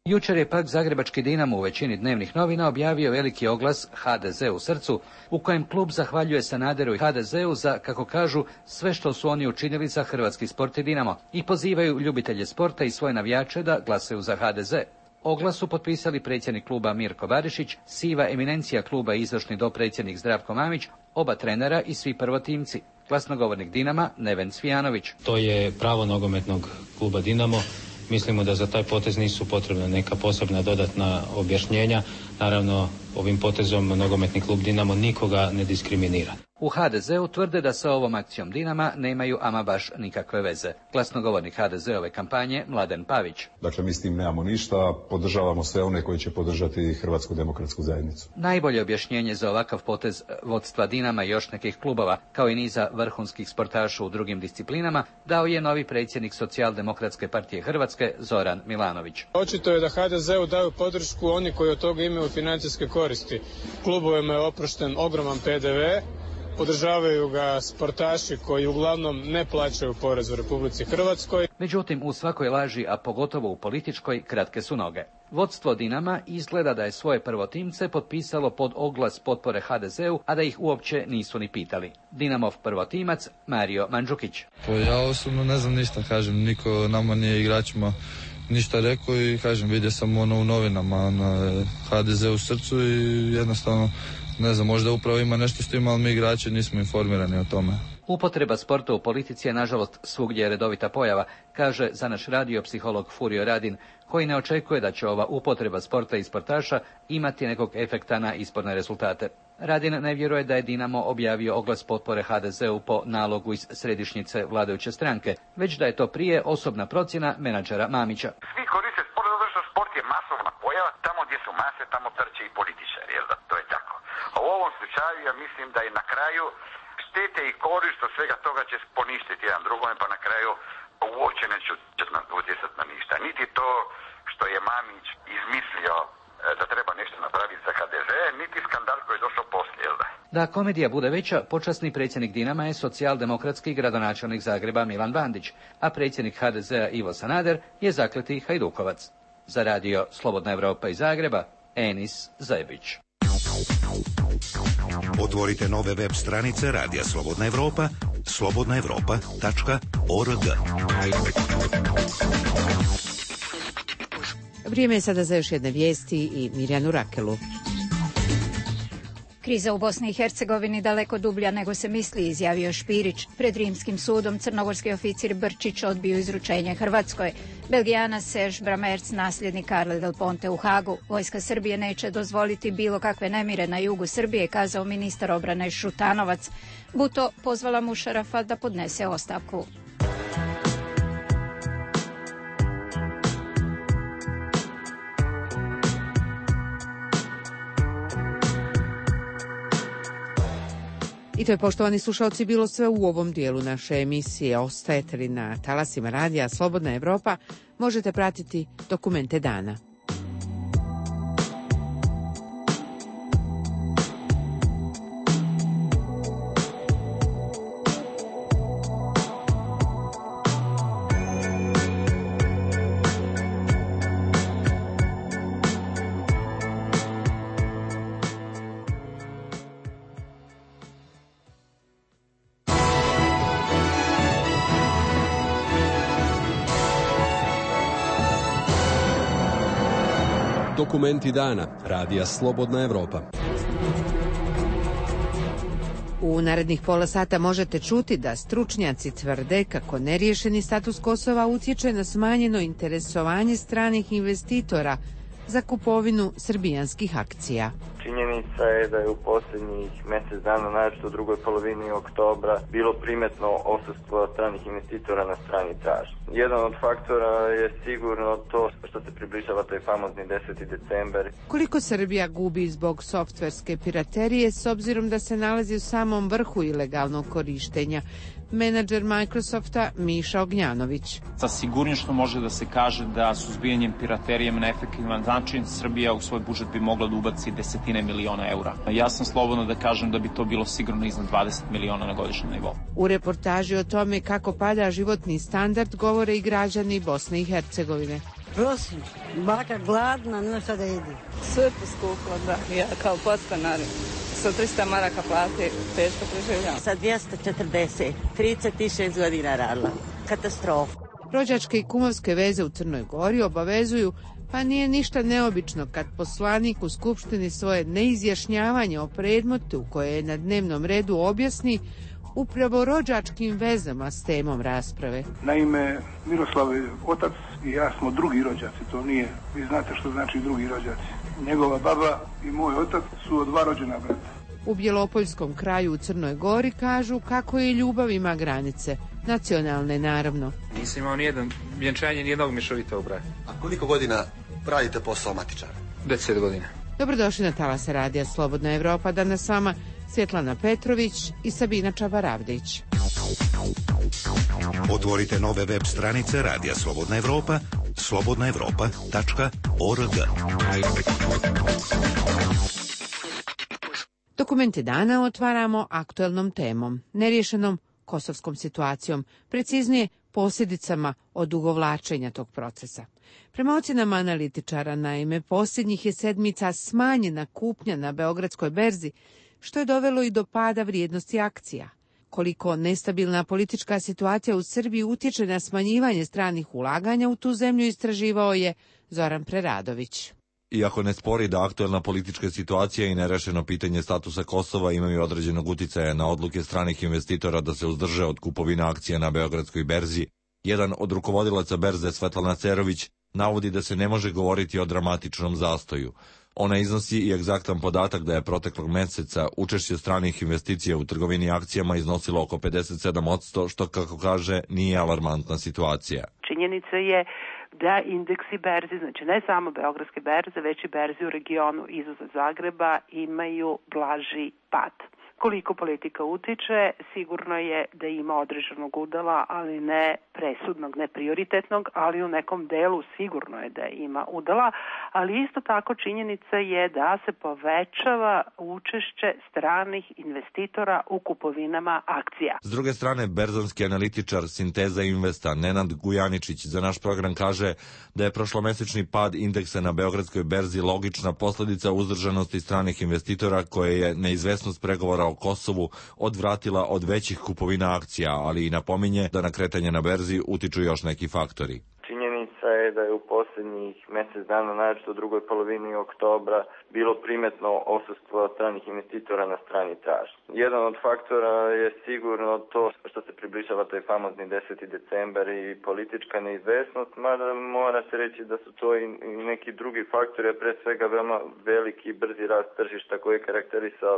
Jučer je pak zagrebački Dinamo u većini dnevnih novina objavio veliki oglas ha de ze u srcu, u kojem klub zahvaljuje Sanaderu i ha de zeu za, kako kažu, sve što su oni učinili za hrvatski sport i Dinamo i pozivaju ljubitelje sporta i svoje navijače da glasaju za ha de ze. Oglas su potpisali predsjednik kluba Mirko Barišić, siva eminencija kluba i izvršni dopredsjednik Zdravko Mamić, oba trenera i svi prvotimci. Glasnogovornik Dinama Neven Cvijanović. To je pravo nogometnog kluba Dinamo. Mislimo da za taj potez nisu potrebna neka posebna dodatna objašnjenja. Naravno, ovim potezom nogometni klub Dinamo nikoga ne diskriminira. U ha de zeu tvrde da sa ovom akcijom Dinama nemaju ama baš nikakve veze. Glasnogovornik ha de zeove kampanje Mladen Pavić. Dakle, mi s tim nemamo ništa, podržavamo sve one koji će podržati Hrvatsku demokratsku zajednicu. Najbolje objašnjenje za ovakav potez vodstva Dinama i još nekih klubova, kao i niza vrhunskih sportaša u drugim disciplinama, dao je novi predsjednik Socijaldemokratske partije Hrvatske Zoran Milanović. Očito je da ha de zeu daju podršku oni koji od toga imaju financijske koristi. Klubovima je oprošten ogroman pe de ve, podržavaju ga sportaši koji uglavnom ne plaćaju porez u Republici Hrvatskoj. Međutim, u svakoj laži, a pogotovo u političkoj, kratke su noge. Vodstvo Dinama izgleda da je svoje prvotimce potpisalo pod oglas potpore ha de zeu, a da ih uopće nisu ni pitali. Dinamov prvotimac Mario Mandžukić. Pa ja osobno ne znam ništa, kažem, niko nama nije igračima ništa rekao i kažem, vidio sam ono u novinama na ha de ze u srcu i jednostavno ne znam, možda upravo ima nešto s tim, ali mi igrači nismo informirani o tome. Upotreba sporta u politici je nažalost svugdje redovita pojava, kaže za naš radio psiholog Furio Radin, koji ne očekuje da će ova upotreba sporta i sportaša imati nekog efekta na izborne rezultate. Radin ne vjeruje da je Dinamo objavio oglas potpore ha de zeu po nalogu iz središnjice vladajuće stranke, već da je to prije osobna procjena menadžera Mamića. Svi koriste sport zato što sport je masovna pojava, tamo gdje su mase, tamo trče i političari, jel da? To je tako. A u ovom slučaju ja mislim da je na kraju štete i korist od svega toga će poništiti jedan drugome, pa na kraju uopće neće utjecati na ništa. Niti to što je Mamić izmislio da treba nešto napraviti za ha de ze, niti skandal koji je došao poslije, jel da? Da komedija bude veća, počasni predsjednik Dinama je socijaldemokratski gradonačelnik Zagreba Milan Bandić, a predsjednik ha de zea Ivo Sanader je zakleti Hajdukovac. Za radio Slobodna Evropa iz Zagreba, Enis Zebić. Otvorite nove web stranice Radija Slobodna Evropa, slobodna evropa tačka org. Vrijeme je sada za još jedne vijesti i Mirjanu Rakelu. Kriza u Bosni i Hercegovini daleko dublja nego se misli, izjavio Špirić. Pred rimskim sudom crnogorski oficir Brčić odbio izručenje Hrvatskoj. Belgijanac Serge Bramerc, nasljednik Carle del Ponte u Hagu. Vojska Srbije neće dozvoliti bilo kakve nemire na jugu Srbije, kazao ministar obrane Šutanovac. Buto pozvala Mušarafa da podnese ostavku. I to je, poštovani slušalci, bilo sve u ovom dijelu naše emisije. Ostajete li na talasima radija Slobodna Evropa, možete pratiti dokumente dana. Dokumenti dana Radija Slobodna Evropa. U narednih pola sata možete čuti da stručnjaci tvrde kako neriješeni status Kosova utječe na smanjeno interesovanje stranih investitora za kupovinu srbijanskih akcija. Činjenica je da je u posljednjih mjesec dana, naročito u drugoj polovini oktobra, bilo primetno odsustvo stranih investitora na strani tražnje. Jedan od faktora je sigurno to što se približava taj famozni deseti decembar. Koliko Srbija gubi zbog softverske piraterije s obzirom da se nalazi u samom vrhu ilegalnog korištenja? Menadžer Microsofta Miša Ognjanović. Sa sigurnošću može da se kaže da suzbijanjem piraterije na efektivan način Srbija u svoj budžet bi mogla da ubaci desetine miliona eura. Ja sam slobodno da kažem da bi to bilo sigurno iznad dvadeset miliona na godišnjem nivou. U reportaži o tome kako pada životni standard govore i građani Bosne i Hercegovine. Prosim, baka gladna, nema šta da jedi. Sve poskuplo, da. Ja kao podstanar sa trista maraka plate, teško preživljam. Sa dvjesto četrdeset, trideset šest godina radila. Katastrofa. Rođačke i kumovske veze u Crnoj Gori obavezuju, pa nije ništa neobično kad poslanik u Skupštini svoje neizjašnjavanje o predmetu koje je na dnevnom redu objasni upravo rođačkim vezama s temom rasprave. Naime, Miroslav je otac i ja smo drugi rođaci, to nije, vi znate što znači drugi rođaci. Njegova baba i moj otac su od dva rođena brata. U Bjelopoljskom kraju u Crnoj Gori kažu kako i ljubav ima granice, nacionalne naravno. Nisam imao nijedan vjenčanje, nijednog mješovitog brata. A koliko godina radite posao matičara? Deset godina. Dobrodošli na talase Radija Slobodna Evropa, danas s vama Svjetlana Petrović i Sabina Čabaravdić. Otvorite nove web stranice Radija Slobodna Evropa, slobodna evropa tačka org. Dokumente dana otvaramo aktuelnom temom, neriješenom kosovskom situacijom, preciznije posljedicama odugovlačenja tog procesa. Prema ocjenama analitičara, naime, posljednjih je sedmica smanjena kupnja na Beogradskoj berzi, što je dovelo i do pada vrijednosti akcija. Koliko nestabilna politička situacija u Srbiji utječe na smanjivanje stranih ulaganja u tu zemlju, istraživao je Zoran Preradović. Iako ne spori da aktuelna politička situacija i nerešeno pitanje statusa Kosova imaju određenog uticaja na odluke stranih investitora da se uzdrže od kupovine akcija na Beogradskoj berzi, jedan od rukovodilaca berze, Svetlana Cerović, navodi da se ne može govoriti o dramatičnom zastoju. Ona iznosi i egzaktan podatak da je proteklog meseca učešće stranih investicija u trgovini akcijama iznosilo oko pedeset sedam posto, što, kako kaže, nije alarmantna situacija. Činjenica je da indeksi berzi, znači ne samo Beogradske berze, već i berzi u regionu izuzev Zagreba, imaju blaži pad. Koliko politika utiče, sigurno je da ima određenog udela, ali ne presudnog, ne prioritetnog, ali u nekom delu sigurno je da ima udela, ali isto tako činjenica je da se povećava učešće stranih investitora u kupovinama akcija. S druge strane, berzanski analitičar Sinteza Investa Nenad Gujaničić za naš program kaže da je prošlomesečni pad indeksa na Beogradskoj berzi logična posljedica uzdržanosti stranih investitora koje je neizvesnost pregovora o Kosovu odvratila od većih kupovina akcija, ali i napominje da na kretanje na berzi utiču još neki faktori. Činjenica je da je u posljednjih mjesec dana, naročito u drugoj polovini oktobra, bilo primetno odsustvo stranih investitora na strani tražnje. Jedan od faktora je sigurno to što se približava taj famozni deseti decembar i politička neizvesnost, mada mora se reći da su to i neki drugi faktori, a pre svega veoma veliki i brzi rast tržišta koji je karakterisao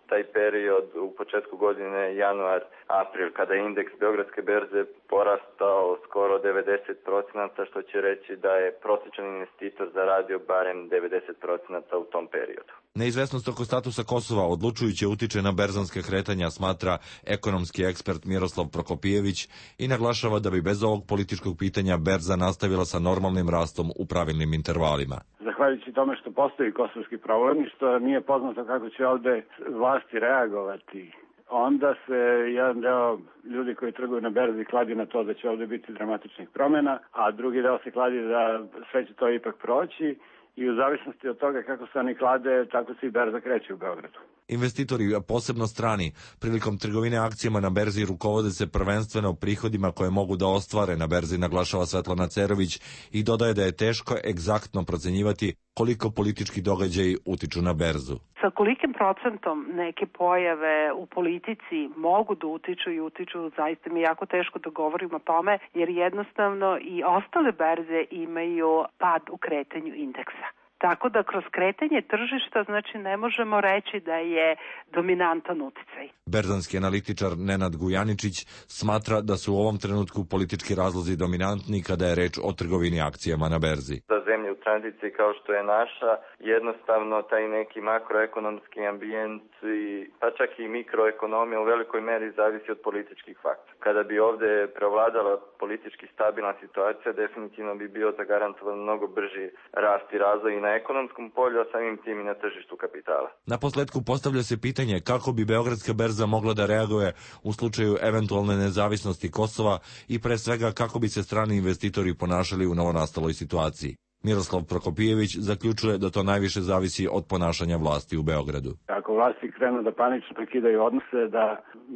taj period u početku godine, januar, april, kada je indeks Beogradske berze porastao skoro devedeset procenata, što će reći da je prosječan investitor zaradio barem devedeset procenata u tom periodu. Neizvesnost oko statusa Kosova odlučujuće utiče na berzanske kretanja, smatra ekonomski ekspert Miroslav Prokopijević i naglašava da bi bez ovog političkog pitanja berza nastavila sa normalnim rastom u pravilnim intervalima. Zahvaljujući tome što postoji kosovski problem i što nije poznato kako će ovde vlasti reagovati, onda se jedan deo ljudi koji trguju na berzi kladi na to da će ovde biti dramatičnih promjena, a drugi deo se kladi da sve će to ipak proći i u zavisnosti od toga kako se oni klade, tako se i berza kreće u Beogradu. Investitori, a posebno strani, prilikom trgovine akcijama na berzi rukovode se prvenstveno prihodima koje mogu da ostvare na berzi, naglašava Svetlana Cerović i dodaje da je teško egzaktno procenjivati koliko politički događaji utiču na berzu. Sa kolikim procentom neke pojave u politici mogu da utiču i utiču, zaista mi je jako teško da govorim o tome, jer jednostavno i ostale berze imaju pad u kretanju indeksa. Tako da kroz kretanje tržišta znači ne možemo reći da je dominantan uticaj. Berzanski analitičar Nenad Gujaničić smatra da su u ovom trenutku politički razlozi dominantni kada je reč o trgovini akcijama na berzi. Za zemlje u tranziciji kao što je naša, jednostavno taj neki makroekonomski ambijent i pa čak i mikroekonomija u velikoj meri zavisi od političkih faktora. Kada bi ovde prevladala politički stabilna situacija, definitivno bi bio zagarantovan mnogo brži rast i razvoj i na ekonomskom polju, a samim tim i na tržištu kapitala. Na posledku postavlja se pitanje kako bi Beogradska berza mogla da reaguje u slučaju eventualne nezavisnosti Kosova i pre svega kako bi se strani investitori ponašali u novonastaloj situaciji. Miroslav Prokopijević zaključuje da to najviše zavisi od ponašanja vlasti u Beogradu. Ako vlasti krenu da panično prekidaju odnose, da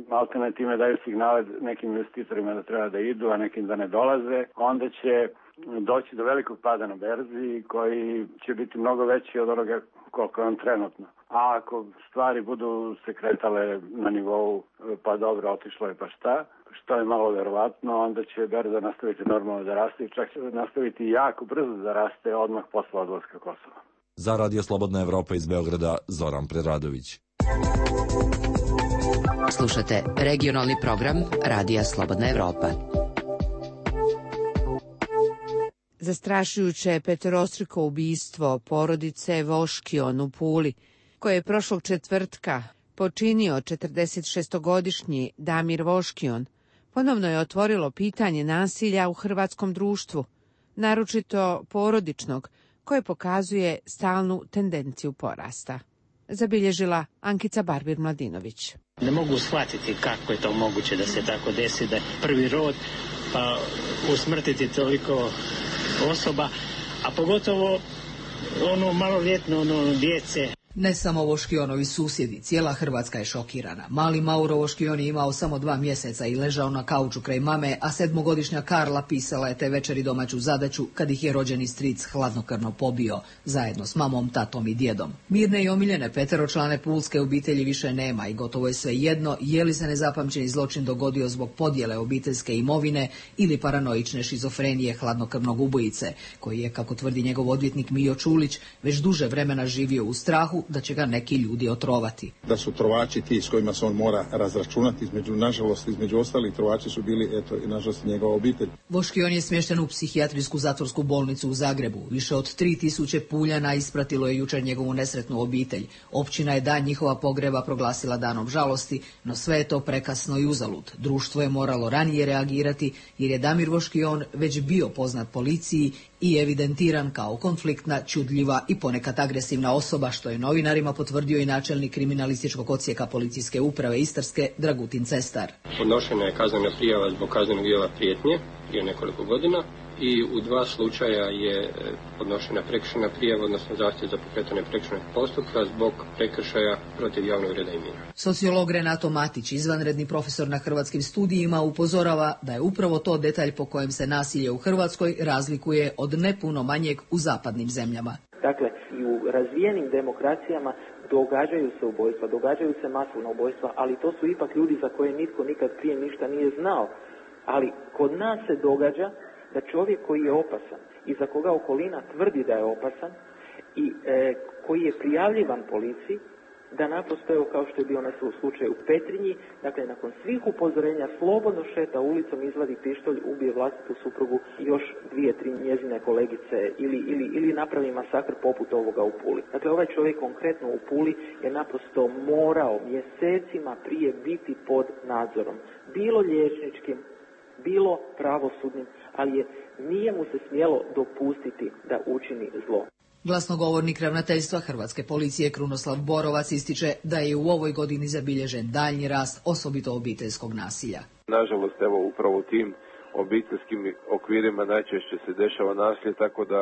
maltene time daju signale nekim investitorima da treba da idu, a nekim da ne dolaze, onda će doći do velikog pada na berzi koji će biti mnogo veći od onoga koliko je on trenutno. A ako stvari budu se kretale na nivou pa dobro, otišlo je pa šta, što je malo verovatno, onda će berza nastaviti normalno da raste i čak će nastaviti jako brzo da raste odmah posle odlaska Kosova. Za Radio Slobodna Evropa iz Beograda, Zoran Preradović. Slušate regionalni program Radija Slobodna Evropa. Zastrašujuće je petorostruko ubistvo porodice Voškion u Puli, koje je prošlog četvrtka počinio četrdesetšestogodišnji Damir Voškion, ponovno je otvorilo pitanje nasilja u hrvatskom društvu, naročito porodičnog, koje pokazuje stalnu tendenciju porasta. Zabilježila Ankica Barbir-Mladinović. Ne mogu shvatiti kako je to moguće da se tako desi, da je prvi rod pa usmrtiti toliko osoba, a pogotovo ono maloljetno, ono djece. Ne samo Voškionovi susjedi, cijela Hrvatska je šokirana. Mali Mauro Voškion je imao samo dva mjeseca i ležao na kauču kraj mame, a sedmogodišnja Karla pisala je te večeri domaću zadaću kad ih je rođeni stric hladnokrvno pobio, zajedno s mamom, tatom i djedom. Mirne i omiljene peteročlane pulske obitelji više nema i gotovo je sve jedno je li se nezapamćeni zločin dogodio zbog podjele obiteljske imovine ili paranoične šizofrenije hladnokrvnog ubojice, koji je, kako tvrdi njegov odvjetnik Mijo Čulić, već duže vremena živio u strahu da će ga neki ljudi otrovati. Da su trovači ti s kojima se on mora razračunati, između, nažalost, između ostalih trovači su bili, eto, i nažalost njegova obitelj. Voškion je smješten u psihijatrijsku zatvorsku bolnicu u Zagrebu. Više od tri tisuće Puljana ispratilo je jučer njegovu nesretnu obitelj. Općina je dan njihova pogreba proglasila danom žalosti, no sve je to prekasno i uzalud. Društvo je moralo ranije reagirati jer je Damir Voškion već bio poznat policiji i evidentiran kao konfliktna, čudljiva i ponekad agresivna osoba, što je novinarima potvrdio i načelnik kriminalističkog odsjeka policijske uprave Istarske Dragutin Cestar. Podnošena je kaznena prijava zbog kaznenog djela prijetnje prije nekoliko godina i u dva slučaja je podnošena prekršajna prijava, odnosno zahtjev za pokretanje prekršajnog postupka zbog prekršaja protiv javnog reda i mira. Sociolog Renato Matić, izvanredni profesor na Hrvatskim studijima, upozorava da je upravo to detalj po kojem se nasilje u Hrvatskoj razlikuje od ne puno manjeg u zapadnim zemljama. Dakle, i u razvijenim demokracijama događaju se ubojstva, događaju se masovna ubojstva, ali to su ipak ljudi za koje nitko nikad prije ništa nije znao. Ali kod nas se događa da čovjek koji je opasan i za koga okolina tvrdi da je opasan i e, koji je prijavljivan policiji, da naprosto, evo, kao što je bio onaj slučaj u Petrinji, dakle nakon svih upozorenja slobodno šeta ulicom, izvadi pištolj, ubije vlastitu suprugu i još dvije, tri njezine kolegice ili, ili, ili napravi masakr poput ovoga u Puli. Dakle, ovaj čovjek konkretno u Puli je naprosto morao mjesecima prije biti pod nadzorom, bilo liječničkim, bilo pravosudnim, ali je, nije mu se smjelo dopustiti da učini zlo. Glasnogovornik ravnateljstva Hrvatske policije Krunoslav Borovac ističe da je u ovoj godini zabilježen daljnji rast, osobito obiteljskog nasilja. Nažalost, evo, upravo u tim obiteljskim okvirima najčešće se dešava nasilje, tako da,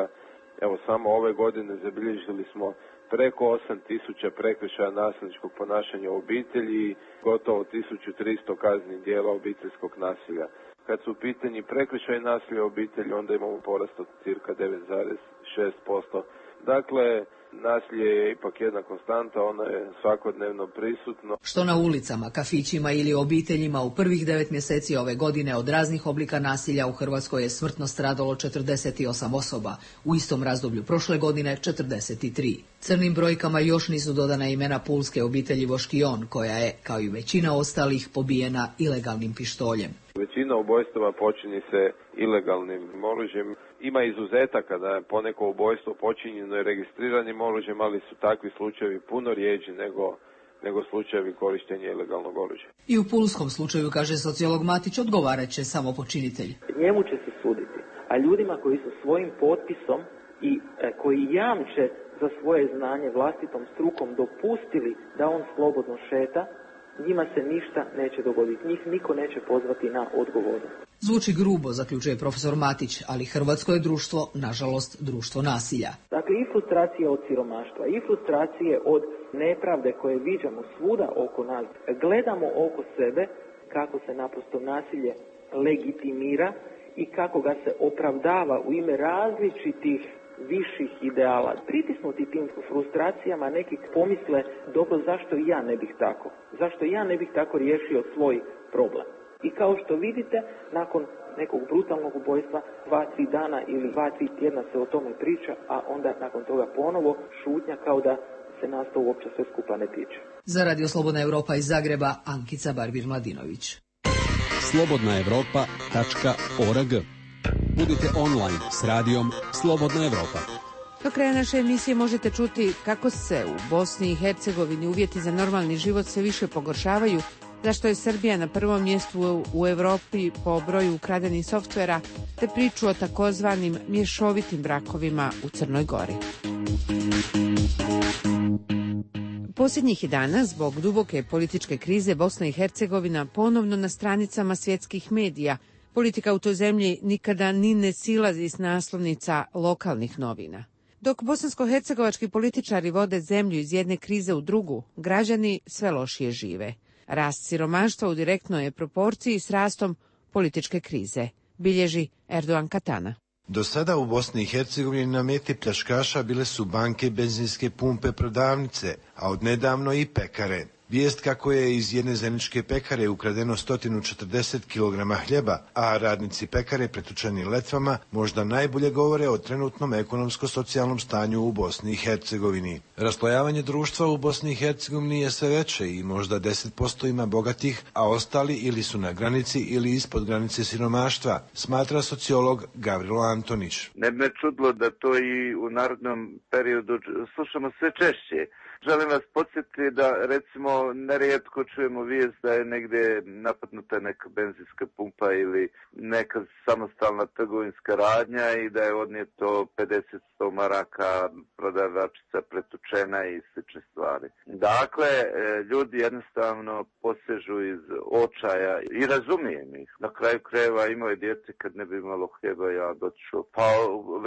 evo, samo ove godine zabilježili smo preko osam tisuća prekršaja nasilničkog ponašanja u obitelji i gotovo tisuću tristo kaznenih djela obiteljskog nasilja. Kad su u pitanju prekršaji nasilja u obitelji, onda imamo porast od cirka devet zarez šest posto Dakle, nasilje je ipak jedna konstanta, ono je svakodnevno prisutno. Što na ulicama, kafićima ili obiteljima u prvih devet mjeseci ove godine od raznih oblika nasilja u Hrvatskoj je smrtno stradalo četrdeset osam osoba, u istom razdoblju prošle godine četrdeset tri. Crnim brojkama još nisu dodana imena pulske obitelji Voškion, koja je, kao i većina ostalih, pobijena ilegalnim pištoljem. Većina ubojstava počinje se ilegalnim oružjem. Ima izuzetaka da je poneko ubojstvo počinjeno i registriranim oružjem, ali su takvi slučajevi puno rijeđi nego, nego slučajevi korištenja ilegalnog oružja. I u pulskom slučaju, kaže sociolog Matić, odgovarat će samo počinitelj. Njemu će se suditi, a ljudima koji su svojim potpisom i e, koji jamče za svoje znanje vlastitom strukom dopustili da on slobodno šeta, njima se ništa neće dogoditi. Njih niko neće pozvati na odgovornost. Zvuči grubo, zaključuje profesor Matić, ali hrvatsko je društvo, nažalost, društvo nasilja. Dakle, i frustracije od siromaštva, i frustracije od nepravde koje viđamo svuda oko nas. Gledamo oko sebe kako se naprosto nasilje legitimira i kako ga se opravdava u ime različitih viših ideala. Pritisnuti tim frustracijama neki pomisle, dobro, zašto i ja ne bih tako? Zašto ja ne bih tako riješio svoj problem? I kao što vidite, nakon nekog brutalnog ubojstva, dva, tri dana ili dva, tri tjedna se o tome priča, a onda nakon toga ponovo šutnja kao da se nas to uopće sve skupa ne tiče. Za Radio Slobodna Evropa iz Zagreba, Ankica Barbir-Mladinović. slobodna evropa tačka org. Budite online s radijom Slobodna Evropa. Do kraja naše emisije možete čuti kako se u Bosni i Hercegovini uvjeti za normalni život sve više pogoršavaju, zašto je Srbija na prvom mjestu u Evropi po broju ukradenih softvera, te priču o takozvanim mješovitim brakovima u Crnoj Gori. Posljednjih je dana, zbog duboke političke krize, Bosna i Hercegovina ponovno na stranicama svjetskih medija. Politika u toj zemlji nikada ni ne silazi s naslovnica lokalnih novina. Dok bosansko-hercegovački političari vode zemlju iz jedne krize u drugu, građani sve lošije žive. Rast siromaštva u direktnoj je proporciji s rastom političke krize, bilježi Erdogan Katana. Do sada u Bosni i Hercegovini na meti pljačkaša bile su banke, benzinske pumpe, prodavnice, a odnedavno i pekare. Vijest kako je iz jedne zajedničke pekare ukradeno sto četrdeset kilograma hljeba, a radnici pekare pretučeni letvama, možda najbolje govore o trenutnom ekonomsko-socijalnom stanju u Bosni i Hercegovini. Raslojavanje društva u Bosni i Hercegovini je sve veće i možda deset posto ima bogatih, a ostali ili su na granici ili ispod granice siromaštva, smatra sociolog Gavrilo Antonić. Ne bi me čudilo da to i u narodnom periodu slušamo sve češće. Želim vas podsjetiti da, recimo, nerijetko čujemo vijest da je negdje napadnuta neka benzinska pumpa ili neka samostalna trgovinska radnja i da je odnijeto pedeset do sto maraka, prodavačica pretučena i slične stvari. Dakle, ljudi jednostavno posežu iz očaja i razumijem ih. Na kraju krajeva imao je dijete, kad ne bi imalo hljeba, ja dotišao, pa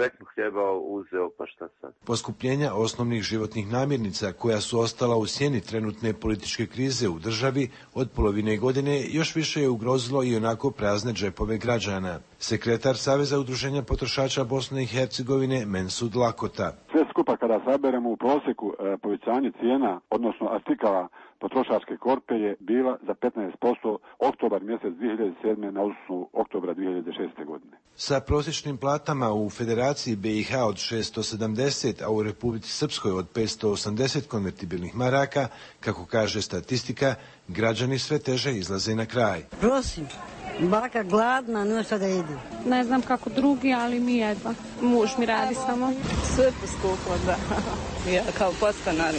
veknu hljeba uzeo, pa šta sad? Poskupljenja osnovnih životnih namirnica koja su ostala u sjeni trenutne političke krize u državi od polovine godine još više je ugrozilo i onako prazne džepove građana. Sekretar Saveza udruženja potrošača Bosne i Hercegovine Mensud Lakota. Sve skupa kada saberemo u prosjeku e, povećanje cijena, odnosno artikala potrošačke korpe je bila za petnaest posto oktobar mjesec dvije hiljade sedme na osnovu oktobra dvije hiljade šeste godine. Sa prosječnim platama u Federaciji B i H od šesto sedamdeset, a u Republici Srpskoj od petsto osamdeset konvertibilnih maraka, kako kaže statistika, građani sve teže izlaze na kraj. Prosim, baka gladna, nema šta da jedi. Ne znam kako drugi, ali mi jedva. Muž mi radi samo. Sve poskuplo, da. Ja kao podstanar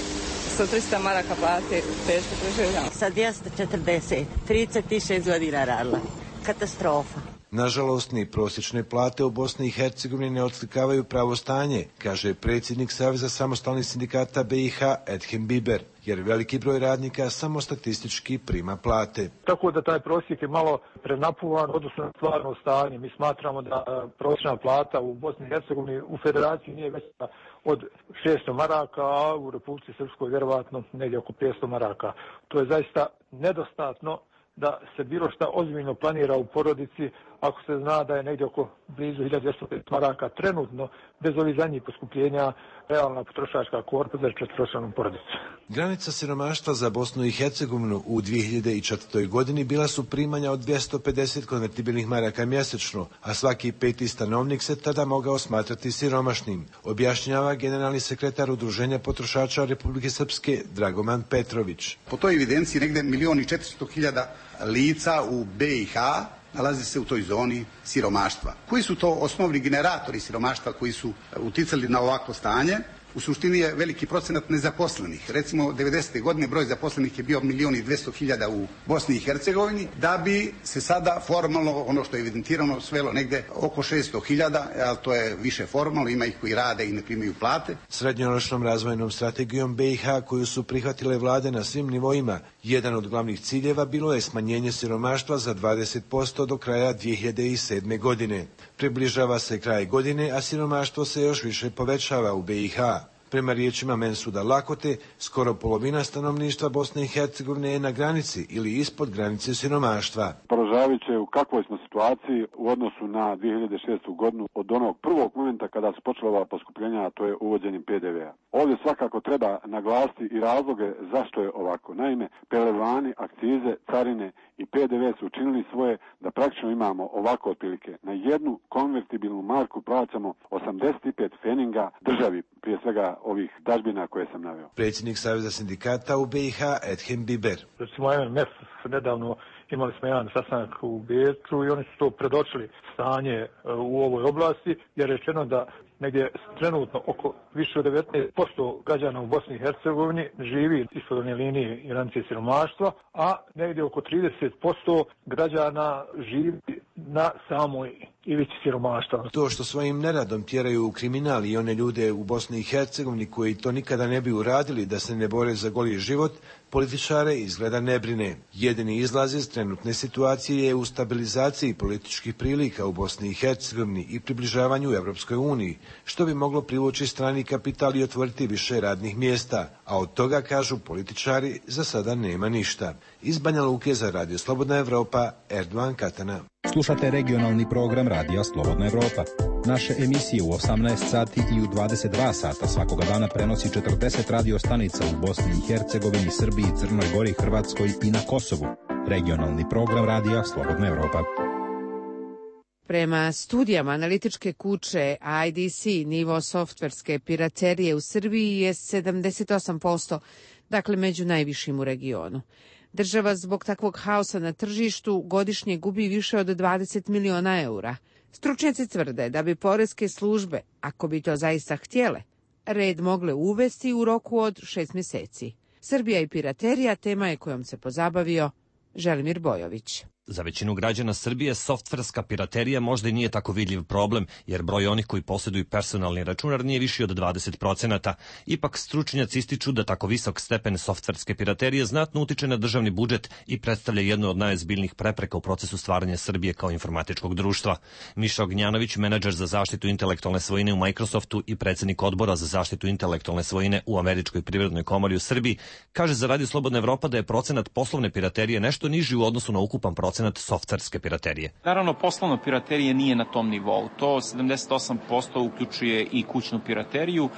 sa trista maraka plati, teško preživljam. Sa dvjesto četrdeset, trideset šest godina radila. Katastrofa. Nažalost, ni prosječne plate u Bosni i Hercegovini ne odslikavaju pravo stanje, kaže predsjednik Saveza samostalnih sindikata B i H Edhem Biber, jer veliki broj radnika samo statistički prima plate. Tako da taj prosjek je malo prenapuvan odnosno na stvarno stanje. Mi smatramo da prosječna plata u Bosni i Hercegovini u federaciji nije veća od šesto maraka, a u Republici Srpskoj vjerovatno negdje oko petsto maraka. To je zaista nedostatno da se bilo šta ozbiljno planira u porodici, ako se zna da je negdje oko blizu hiljadu dvjesto pedeset maraka trenutno, bez ovih zadnjih poskupljenja, realna potrošačka korpa za četveročlanu porodicu. Granica siromaštva za Bosnu i Hercegovinu u dvije hiljade četvrtoj. godini bila su primanja od dvjesto pedeset konvertibilnih maraka mjesečno, a svaki peti stanovnik se tada mogao smatrati siromašnim, objašnjava generalni sekretar Udruženja potrošača Republike Srpske Dragoman Petrović. Po toj evidenciji negde milion i četiristo hiljada lica u B i H nalazi se u toj zoni siromaštva. Koji su to osnovni generatori siromaštva koji su uticali na ovakvo stanje? U suštini je veliki procenat nezaposlenih. Recimo, devedesete godine broj zaposlenih je bio milion i dvjesto hiljada u Bosni i Hercegovini, da bi se sada formalno, ono što je evidentirano, svelo negde oko šesto hiljada, ali to je više formalno, ima ih koji rade i ne primaju plate. Srednjoročnom razvojnom strategijom B i H koju su prihvatile vlade na svim nivoima, jedan od glavnih ciljeva bilo je smanjenje siromaštva za dvadeset posto do kraja dvije hiljade sedme. godine. Približava se kraj godine, a siromaštvo se još više povećava u B i H. Prema riječima Mensuda Lakote, skoro polovina stanovništva Bosne i Hercegovine je na granici ili ispod granice siromaštva. Poražavajuće u kakvoj smo situaciji u odnosu na dvije hiljade šestu. godinu od onog prvog momenta kada su počela ova poskupljenja, a to je uvođenjem P D V-a. Ovdje svakako treba naglasiti i razloge zašto je ovako. Naime, pelevani, akcize, carine i P D V su učinili svoje da praktično imamo ovako otprilike. Na jednu konvertibilnu marku plaćamo osamdeset pet feninga državi, prije svega ovih dažbina koje sam naveo. Predsjednik Saveza sindikata u B i H Edhem Biber. Recimo M M F nedavno imali smo jedan sastanak u Beču i oni su to predočili stanje u ovoj oblasti, jer je rečeno da negdje trenutno oko više od devetnaest posto građana u Bosni i Hercegovini živi ispod one linije granice siromaštva, a negdje oko trideset posto građana živi na samoj ivici siromaštva. To što svojim neradom tjeraju u kriminal i one ljude u Bosni i Hercegovini koji to nikada ne bi uradili da se ne bore za goli život, političare izgleda ne brine. Jedini izlaz iz trenutne situacije je u stabilizaciji političkih prilika u Bosni i Hercegovini i približavanju Evropskoj uniji, što bi moglo privući strani kapital i otvoriti više radnih mjesta, a od toga, kažu političari, za sada nema ništa. Iz Banja Luke za Radio Slobodna Evropa, Erdovan Katana. Slušate regionalni program Radija Slobodna Evropa. Naše emisije u osamnaest sati i u dvadeset dva sata svakoga dana prenosi četrdeset radio stanica u Bosni i Hercegovini, Srbiji, Crnoj Gori, Hrvatskoj i na Kosovu. Regionalni program Radija Slobodna Evropa. Prema studijama analitičke kuće I D C, nivo softverske piraterije u Srbiji je sedamdeset osam posto, dakle među najvišim u regionu. Država zbog takvog haosa na tržištu godišnje gubi više od dvadeset miliona eura. Stručnjaci tvrde da bi poreske službe, ako bi to zaista htjele, red mogle uvesti u roku od šest mjeseci. Srbija i piraterija tema je kojom se pozabavio Želimir Bojović. Za većinu građana Srbije softverska piraterija možda i nije tako vidljiv problem, jer broj onih koji posjeduju personalni računar nije viši od dvadeset procenata. Ipak stručnjaci ističu da tako visok stepen softverske piraterije znatno utiče na državni budžet i predstavlja jednu od najozbiljnijih prepreka u procesu stvaranja Srbije kao informatičkog društva. Miša Ognjanović, menadžer za zaštitu intelektualne svojine u Microsoftu i predsjednik odbora za zaštitu intelektualne svojine u Američkoj privrednoj komori u Srbiji, kaže za Radio Slobodna Evropa da je procenat poslovne piraterije nešto niži u odnosu na ukupan procenat softverske piraterije. Naravno, poslovna piraterija nije na tom nivou. To sedamdeset osam posto uključuje i kućnu pirateriju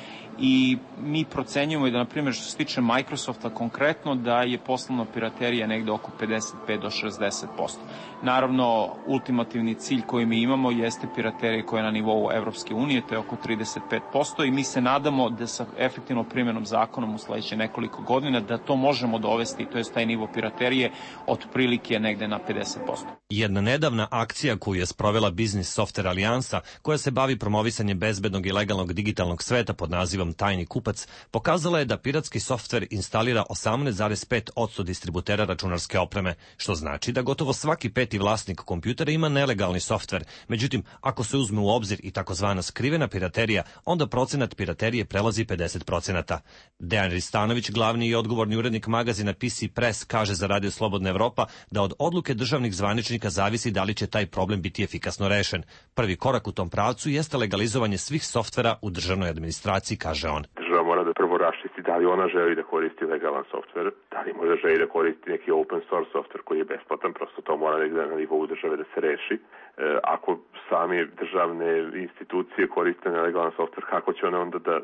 i mi procenjujemo da, na primjer, što se tiče Microsofta konkretno, da je poslovna piraterija negde oko pedeset pet do šezdeset posto. Naravno, ultimativni cilj koji mi imamo jeste piraterija koja je na nivou Evropske unije, to je oko trideset pet posto i mi se nadamo da sa efektivnom primjenom zakonom u sledeće nekoliko godina da to možemo dovesti, to je taj nivo piraterije otprilike negde na pedeset posto. Jedna nedavna akcija koju je sprovela Business Software Alijansa, koja se bavi promovisanjem bezbednog i legalnog digitalnog sveta pod nazivom Tajni kupac, pokazala je da piratski softver instalira osamnaest zarez pet posto distributera računarske opreme, što znači da gotovo svaki peti vlasnik kompjutera ima nelegalni softver. Međutim, ako se uzme u obzir i takozvana skrivena piraterija, onda procenat piraterije prelazi pedeset procenata. Dejan Ristanović, glavni i odgovorni urednik magazina P C Press, kaže za Radio Slobodna Evropa da od odluke državnih zvaničnika zavisi da li će taj problem biti efikasno rešen. Prvi korak u tom pravcu jeste legalizovanje svih softvera u državnoj administraciji, kaže on. Država mora da prvo zaštiti, da li ona želi da koristi legalan softver, da li možda želi da koristi neki open source softver koji je besplatan, prosto to mora negde na nivou države da se reši. E, ako sami državne institucije koriste nelegalan softver, kako će one onda da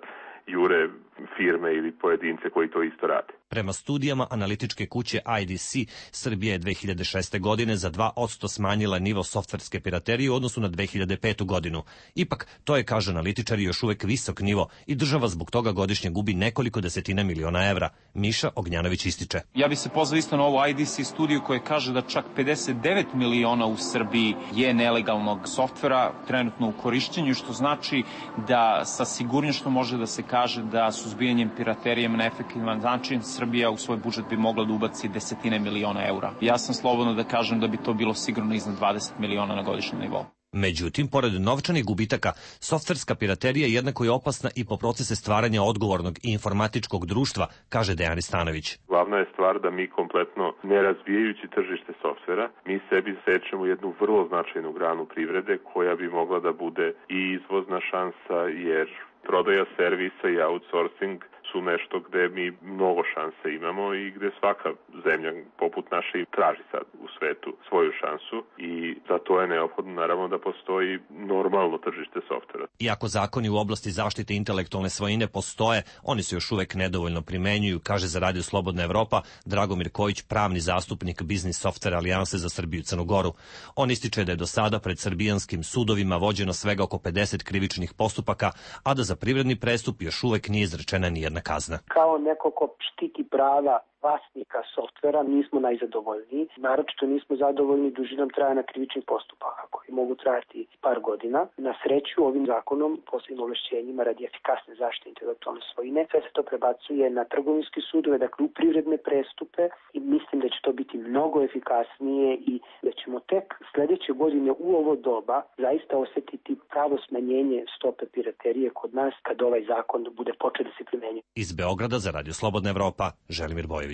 jure firme ili pojedince koji to isto rade? Prema studijama analitičke kuće I D C, Srbija je dve hiljade šeste. godine za dva posto smanjila nivo softverske piraterije u odnosu na dve hiljade petu. godinu. Ipak, to je, kaže analitičari, još uvek visok nivo i država zbog toga godišnje gubi nekoliko desetina miliona evra. Miša Ognjanović ističe. Ja bih se pozvao isto na ovu I D C studiju koja kaže da čak pedeset devet miliona u Srbiji je nelegalnog softvera trenutno u korišćenju, što znači da sa sigurnošću može da se kaže da suzbijanjem piraterije na efektivan način Srbija u svoj budžet bi mogla da ubaci desetine miliona eura. Ja sam slobodno da kažem da bi to bilo sigurno iznad dvadeset miliona na godišnjem nivou. Međutim, pored novčanih gubitaka, softverska piraterija jednako je opasna i po procese stvaranja odgovornog i informatičkog društva, kaže Dejan Stanović. Glavna je stvar da mi kompletno, ne razvijajući tržište softvera, mi sebi sečemo jednu vrlo značajnu granu privrede koja bi mogla da bude i izvozna šansa, jer prodaja servisa i outsourcing su nešto gde mi mnogo šanse imamo i gde svaka zemlja poput naše traži sad u svetu svoju šansu i za to je neophodno naravno da postoji normalno tržište softvera. Iako zakoni u oblasti zaštite intelektualne svojine postoje, oni se još uvek nedovoljno primenjuju, kaže za Radio Slobodna Evropa Dragomir Kojić, pravni zastupnik Biznis Software Alijanse za Srbiju i Crnu Goru. On ističe da je do sada pred srbijanskim sudovima vođeno svega oko pedeset krivičnih postupaka, a da za privredni prestup još uvek nije izrečena nijedna kazna. Kao neko ko štiti prava vlasnika softvera nismo najzadovoljniji. Naročito nismo zadovoljni dužinom trajanja krivičnih postupaka koji mogu trajati par godina. Na sreću ovim zakonom, posebnim ovlašćenjima radi efikasne zaštite intelektualne svojine, sve se to prebacuje na trgovinske sudove, dakle u privredne prestupe i mislim da će to biti mnogo efikasnije i da ćemo tek sledeće godine u ovo doba zaista osetiti pravo smanjenje stope piraterije kod nas kad ovaj zakon bude počeo da se primenjuje. Iz Beograda za Radio Slobodna Evropa, Želimir Bojević.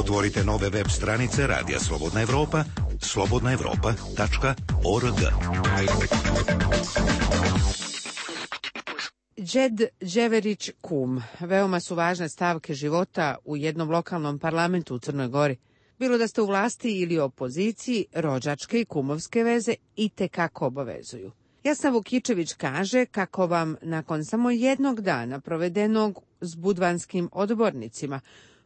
Otvorite nove web stranice Radija Slobodna Evropa, slobodna evropa tačka org. Đed Đeverić kum, veoma su važne stavke života u jednom lokalnom parlamentu u Crnoj Gori. Bilo da ste u vlasti ili opoziciji, rođačke i kumovske veze i te kako obavezuju. Jasna Vukičević kaže kako vam nakon samo jednog dana provedenog s budvanskim odbornicima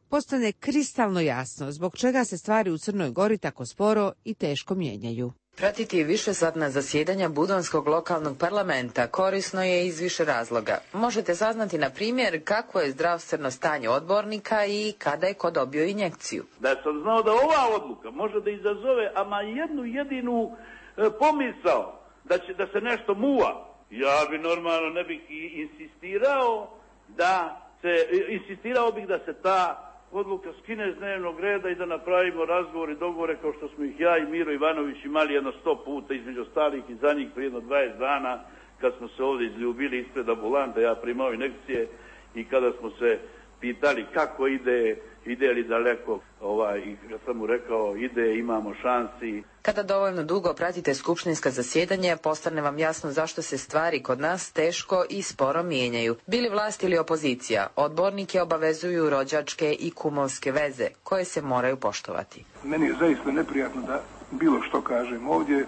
postane kristalno jasno zbog čega se stvari u Crnoj Gori tako sporo i teško mijenjaju. Pratiti višesatna zasjedanja Budvanskog lokalnog parlamenta korisno je iz više razloga. Možete saznati, na primjer, kakvo je zdravstveno stanje odbornika i kada je ko dobio injekciju. Da sam znao da ova odluka može da izazove ama jednu jedinu e, pomisao da će da se nešto muva, ja bi normalno ne bih insistirao da se, insistirao bih da se ta odluka skine s dnevnog reda i da napravimo razgovor i dogovore kao što smo ih ja i Miro Ivanović imali jedno sto puta između ostalih i za njih prije jedno dvadeset dana kad smo se ovdje izljubili ispred ambulante, ja primao injekcije i kada smo se pitali kako ide, ide li daleko, ovaj, i ja sam mu rekao ide, imamo šansi. Kada dovoljno dugo pratite skupštinska zasjedanja, postane vam jasno zašto se stvari kod nas teško i sporo mijenjaju. Bili vlast ili opozicija, odbornike obavezuju rođačke i kumovske veze, koje se moraju poštovati. Meni je zaista neprijatno da bilo što kažem ovdje,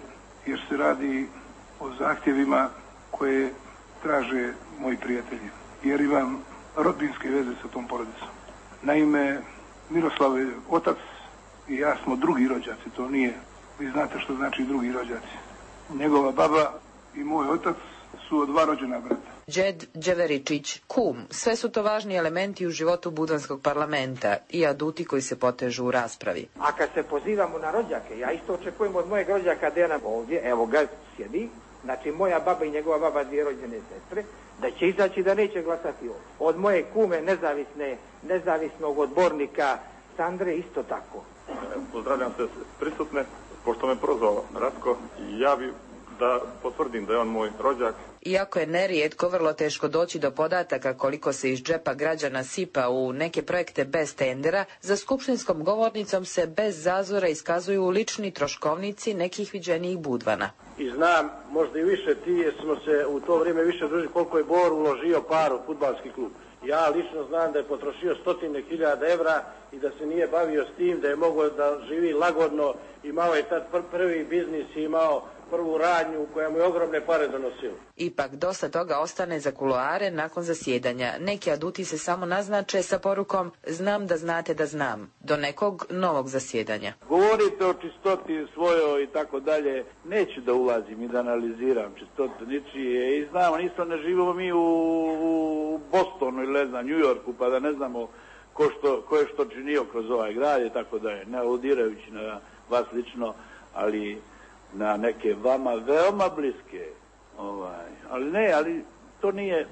jer se radi o zahtjevima koje traže moji prijatelji, jer imam rodbinske veze sa tom porodicom. Naime, Miroslav je otac i ja smo drugi rođaci, to nije, vi znate što znači drugi rođaci. Njegova baba i moj otac su od dva rođena brata. Đed Đeveričić, kum, sve su to važni elementi u životu Budvanskog parlamenta i aduti koji se potežu u raspravi. A kad se pozivamo na rođake, ja isto očekujem od mojeg rođaka Dejana ovdje, evo ga sjedi, znači moja baba i njegova baba, dvije rođene sestre, da će izaći da neće glasati ovdje. Od moje kume nezavisne, nezavisnog odbornika Sandre isto tako. Pozdravljam se prisutne, pošto me prozvao Ratko, ja bi da potvrdim da je on moj rođak. Iako je nerijetko vrlo teško doći do podataka koliko se iz džepa građana sipa u neke projekte bez tendera, za skupštinskom govornicom se bez zazora iskazuju lični troškovnici nekih viđenijih budvana. I znam, možda i više ti, jer smo se u to vrijeme više družili koliko je Bor uložio par u fudbalski klub. Ja lično znam da je potrošio stotine hiljada evra i da se nije bavio s tim, da je mogao da živi lagodno, imao je tad prvi biznis i imao prvu radnju koja mu je ogromne pare donosila. Ipak dosta toga ostane za kuloare nakon zasjedanja. Neki aduti se samo naznače sa porukom znam da znate da znam, do nekog novog zasjedanja. Govorite o čistoti svojoj i tako dalje, neću da ulazim i da analiziram čistotu ničije i znamo, isto ne živimo mi u, u Bostonu ili ne znam, New Yorku, pa da ne znamo ko, što, ko je što činio kroz ovaj grad i tako dalje, ne aludirajući na vas lično, ali na neke vama veoma bliske, ovaj, ali ne, ali to nije,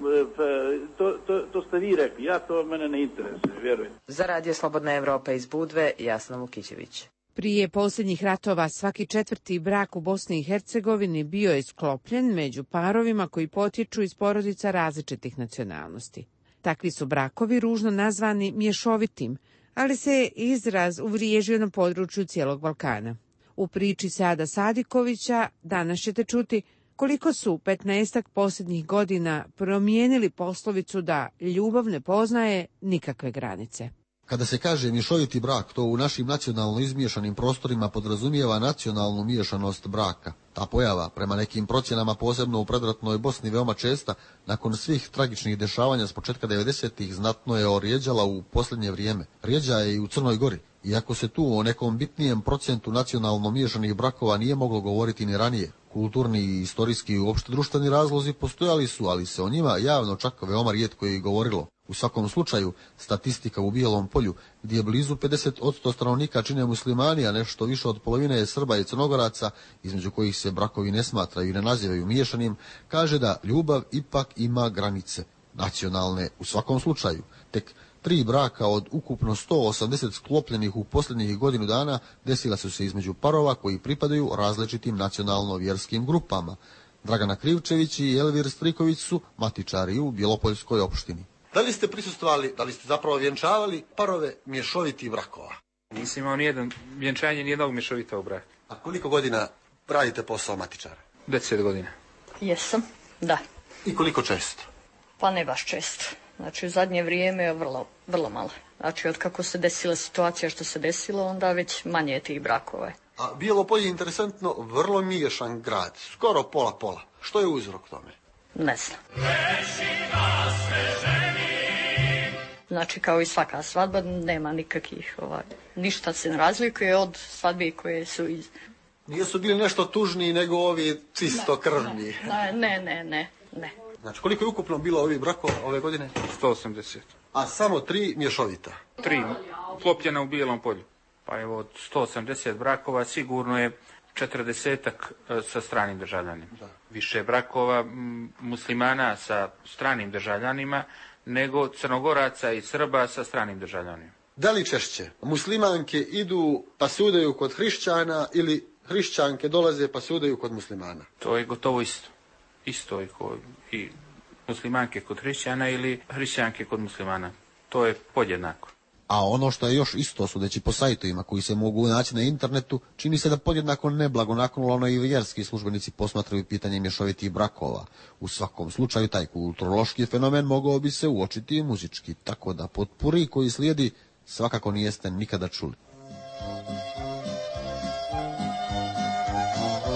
to, to, to ste vi rekli, ja to mene ne interesuje, vjerujem. Za Radio Slobodna Evropa iz Budve, Jasna Vukićević. Prije posljednjih ratova svaki četvrti brak u Bosni i Hercegovini bio je sklopljen među parovima koji potječu iz porodica različitih nacionalnosti. Takvi su brakovi ružno nazvani mješovitim, ali se izraz uvriježio na području cijelog Balkana. U priči Sada Sadikovića danas ćete čuti koliko su petnaestak posljednjih godina promijenili poslovicu da ljubav ne poznaje nikakve granice. Kada se kaže mješoviti brak, to u našim nacionalno izmiješanim prostorima podrazumijeva nacionalnu miješanost braka. Ta pojava, prema nekim procjenama posebno u predratnoj Bosni veoma česta, nakon svih tragičnih dešavanja s početka devedesetih znatno je orijeđala u posljednje vrijeme. Rijeđa je i u Crnoj Gori. Iako se tu o nekom bitnijem procentu nacionalno miješanih brakova nije moglo govoriti ni ranije, kulturni i istorijski i uopšte društveni razlozi postojali su, ali se o njima javno čak veoma rijetko je i govorilo. U svakom slučaju, statistika u Bijelom polju, gdje blizu pedeset posto stanovnika čine muslimani, a nešto više od polovine je Srba i Crnogoraca, između kojih se brakovi ne smatraju i ne nazivaju miješanim, kaže da ljubav ipak ima granice, nacionalne u svakom slučaju. Tek tri braka od ukupno sto osamdeset sklopljenih u posljednjih godinu dana desila su se između parova koji pripadaju različitim nacionalno-vjerskim grupama. Dragana Krivčević i Elvir Striković su matičari u Bjelopoljskoj opštini. Da li ste prisustvovali, da li ste zapravo vjenčavali parove mješovitih brakova? Nisam imao nijedan vjenčanje, nijednog mješovitog braka. A koliko godina radite posao matičara? Deset godina. Jesam, da. I koliko često? Pa ne baš često. Znači u zadnje vrijeme je vrlo, vrlo malo. Znači od kako se desila situacija što se desilo, onda već manje je tih brakova. A Bijelo je interesantno, vrlo miješan grad, skoro pola-pola. Što je uzrok tome? Ne znam. Znači kao i svaka svadba nema nikakvih, ovaj, ništa se ne razlikuje od svadbi koje su iz... Nisu bili nešto tužniji nego ovi čisto krvni? Ne, ne, ne, ne, ne. Znači koliko je ukupno bilo ovih brakova ove godine? sto osamdeset. A samo tri mješovita? Tri, klopljena u Bijelom polju. Pa evo od sto osamdeset brakova sigurno je četrdesetak sa stranim državljanima. Da. Više brakova muslimana sa stranim državljanima nego Crnogoraca i Srba sa stranim državljanima. Da li češće muslimanke idu pa se udaju kod hrišćana ili hrišćanke dolaze pa se udaju kod muslimana? To je gotovo isto. Isto je kod i muslimanke kod hrišćana ili hrišćanke kod muslimana. To je podjednako. A ono što je još isto, sudeći po sajtovima koji se mogu naći na internetu, čini se da podjednako neblagonaklono i vjerski službenici posmatraju pitanje mješovitih brakova. U svakom slučaju taj kulturološki fenomen mogao bi se uočiti i muzički, tako da potpuri koji slijedi svakako nijeste nikada čuli.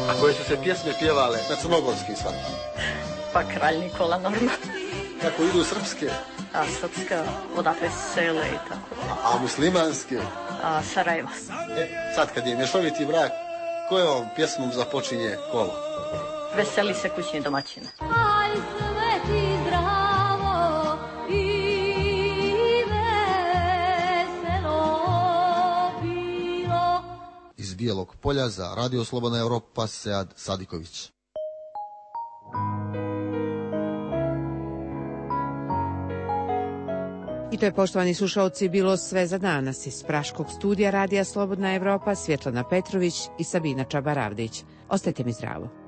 A koje su se pjesme pjevale na crnogorskim svadbama? Pa Kralj Nikola normalno. Kako idu srpske? A srpska, odakle sele i tako. A, a muslimanske? A Sarajevo. E, sad kad je mješoviti brak, kojom pjesmom započinje kolo? Veseli se kućni domaćina. Aj sveti zdravo i veselo bilo. Iz Bijelog polja za Radio Slobodna Evropa, Sead Sadiković. I to je, poštovani slušalci, bilo sve za danas. Iz Praškog studija Radija Slobodna Evropa, Svjetlana Petrović i Sabina Čabaravdić. Ostajte mi zdravo.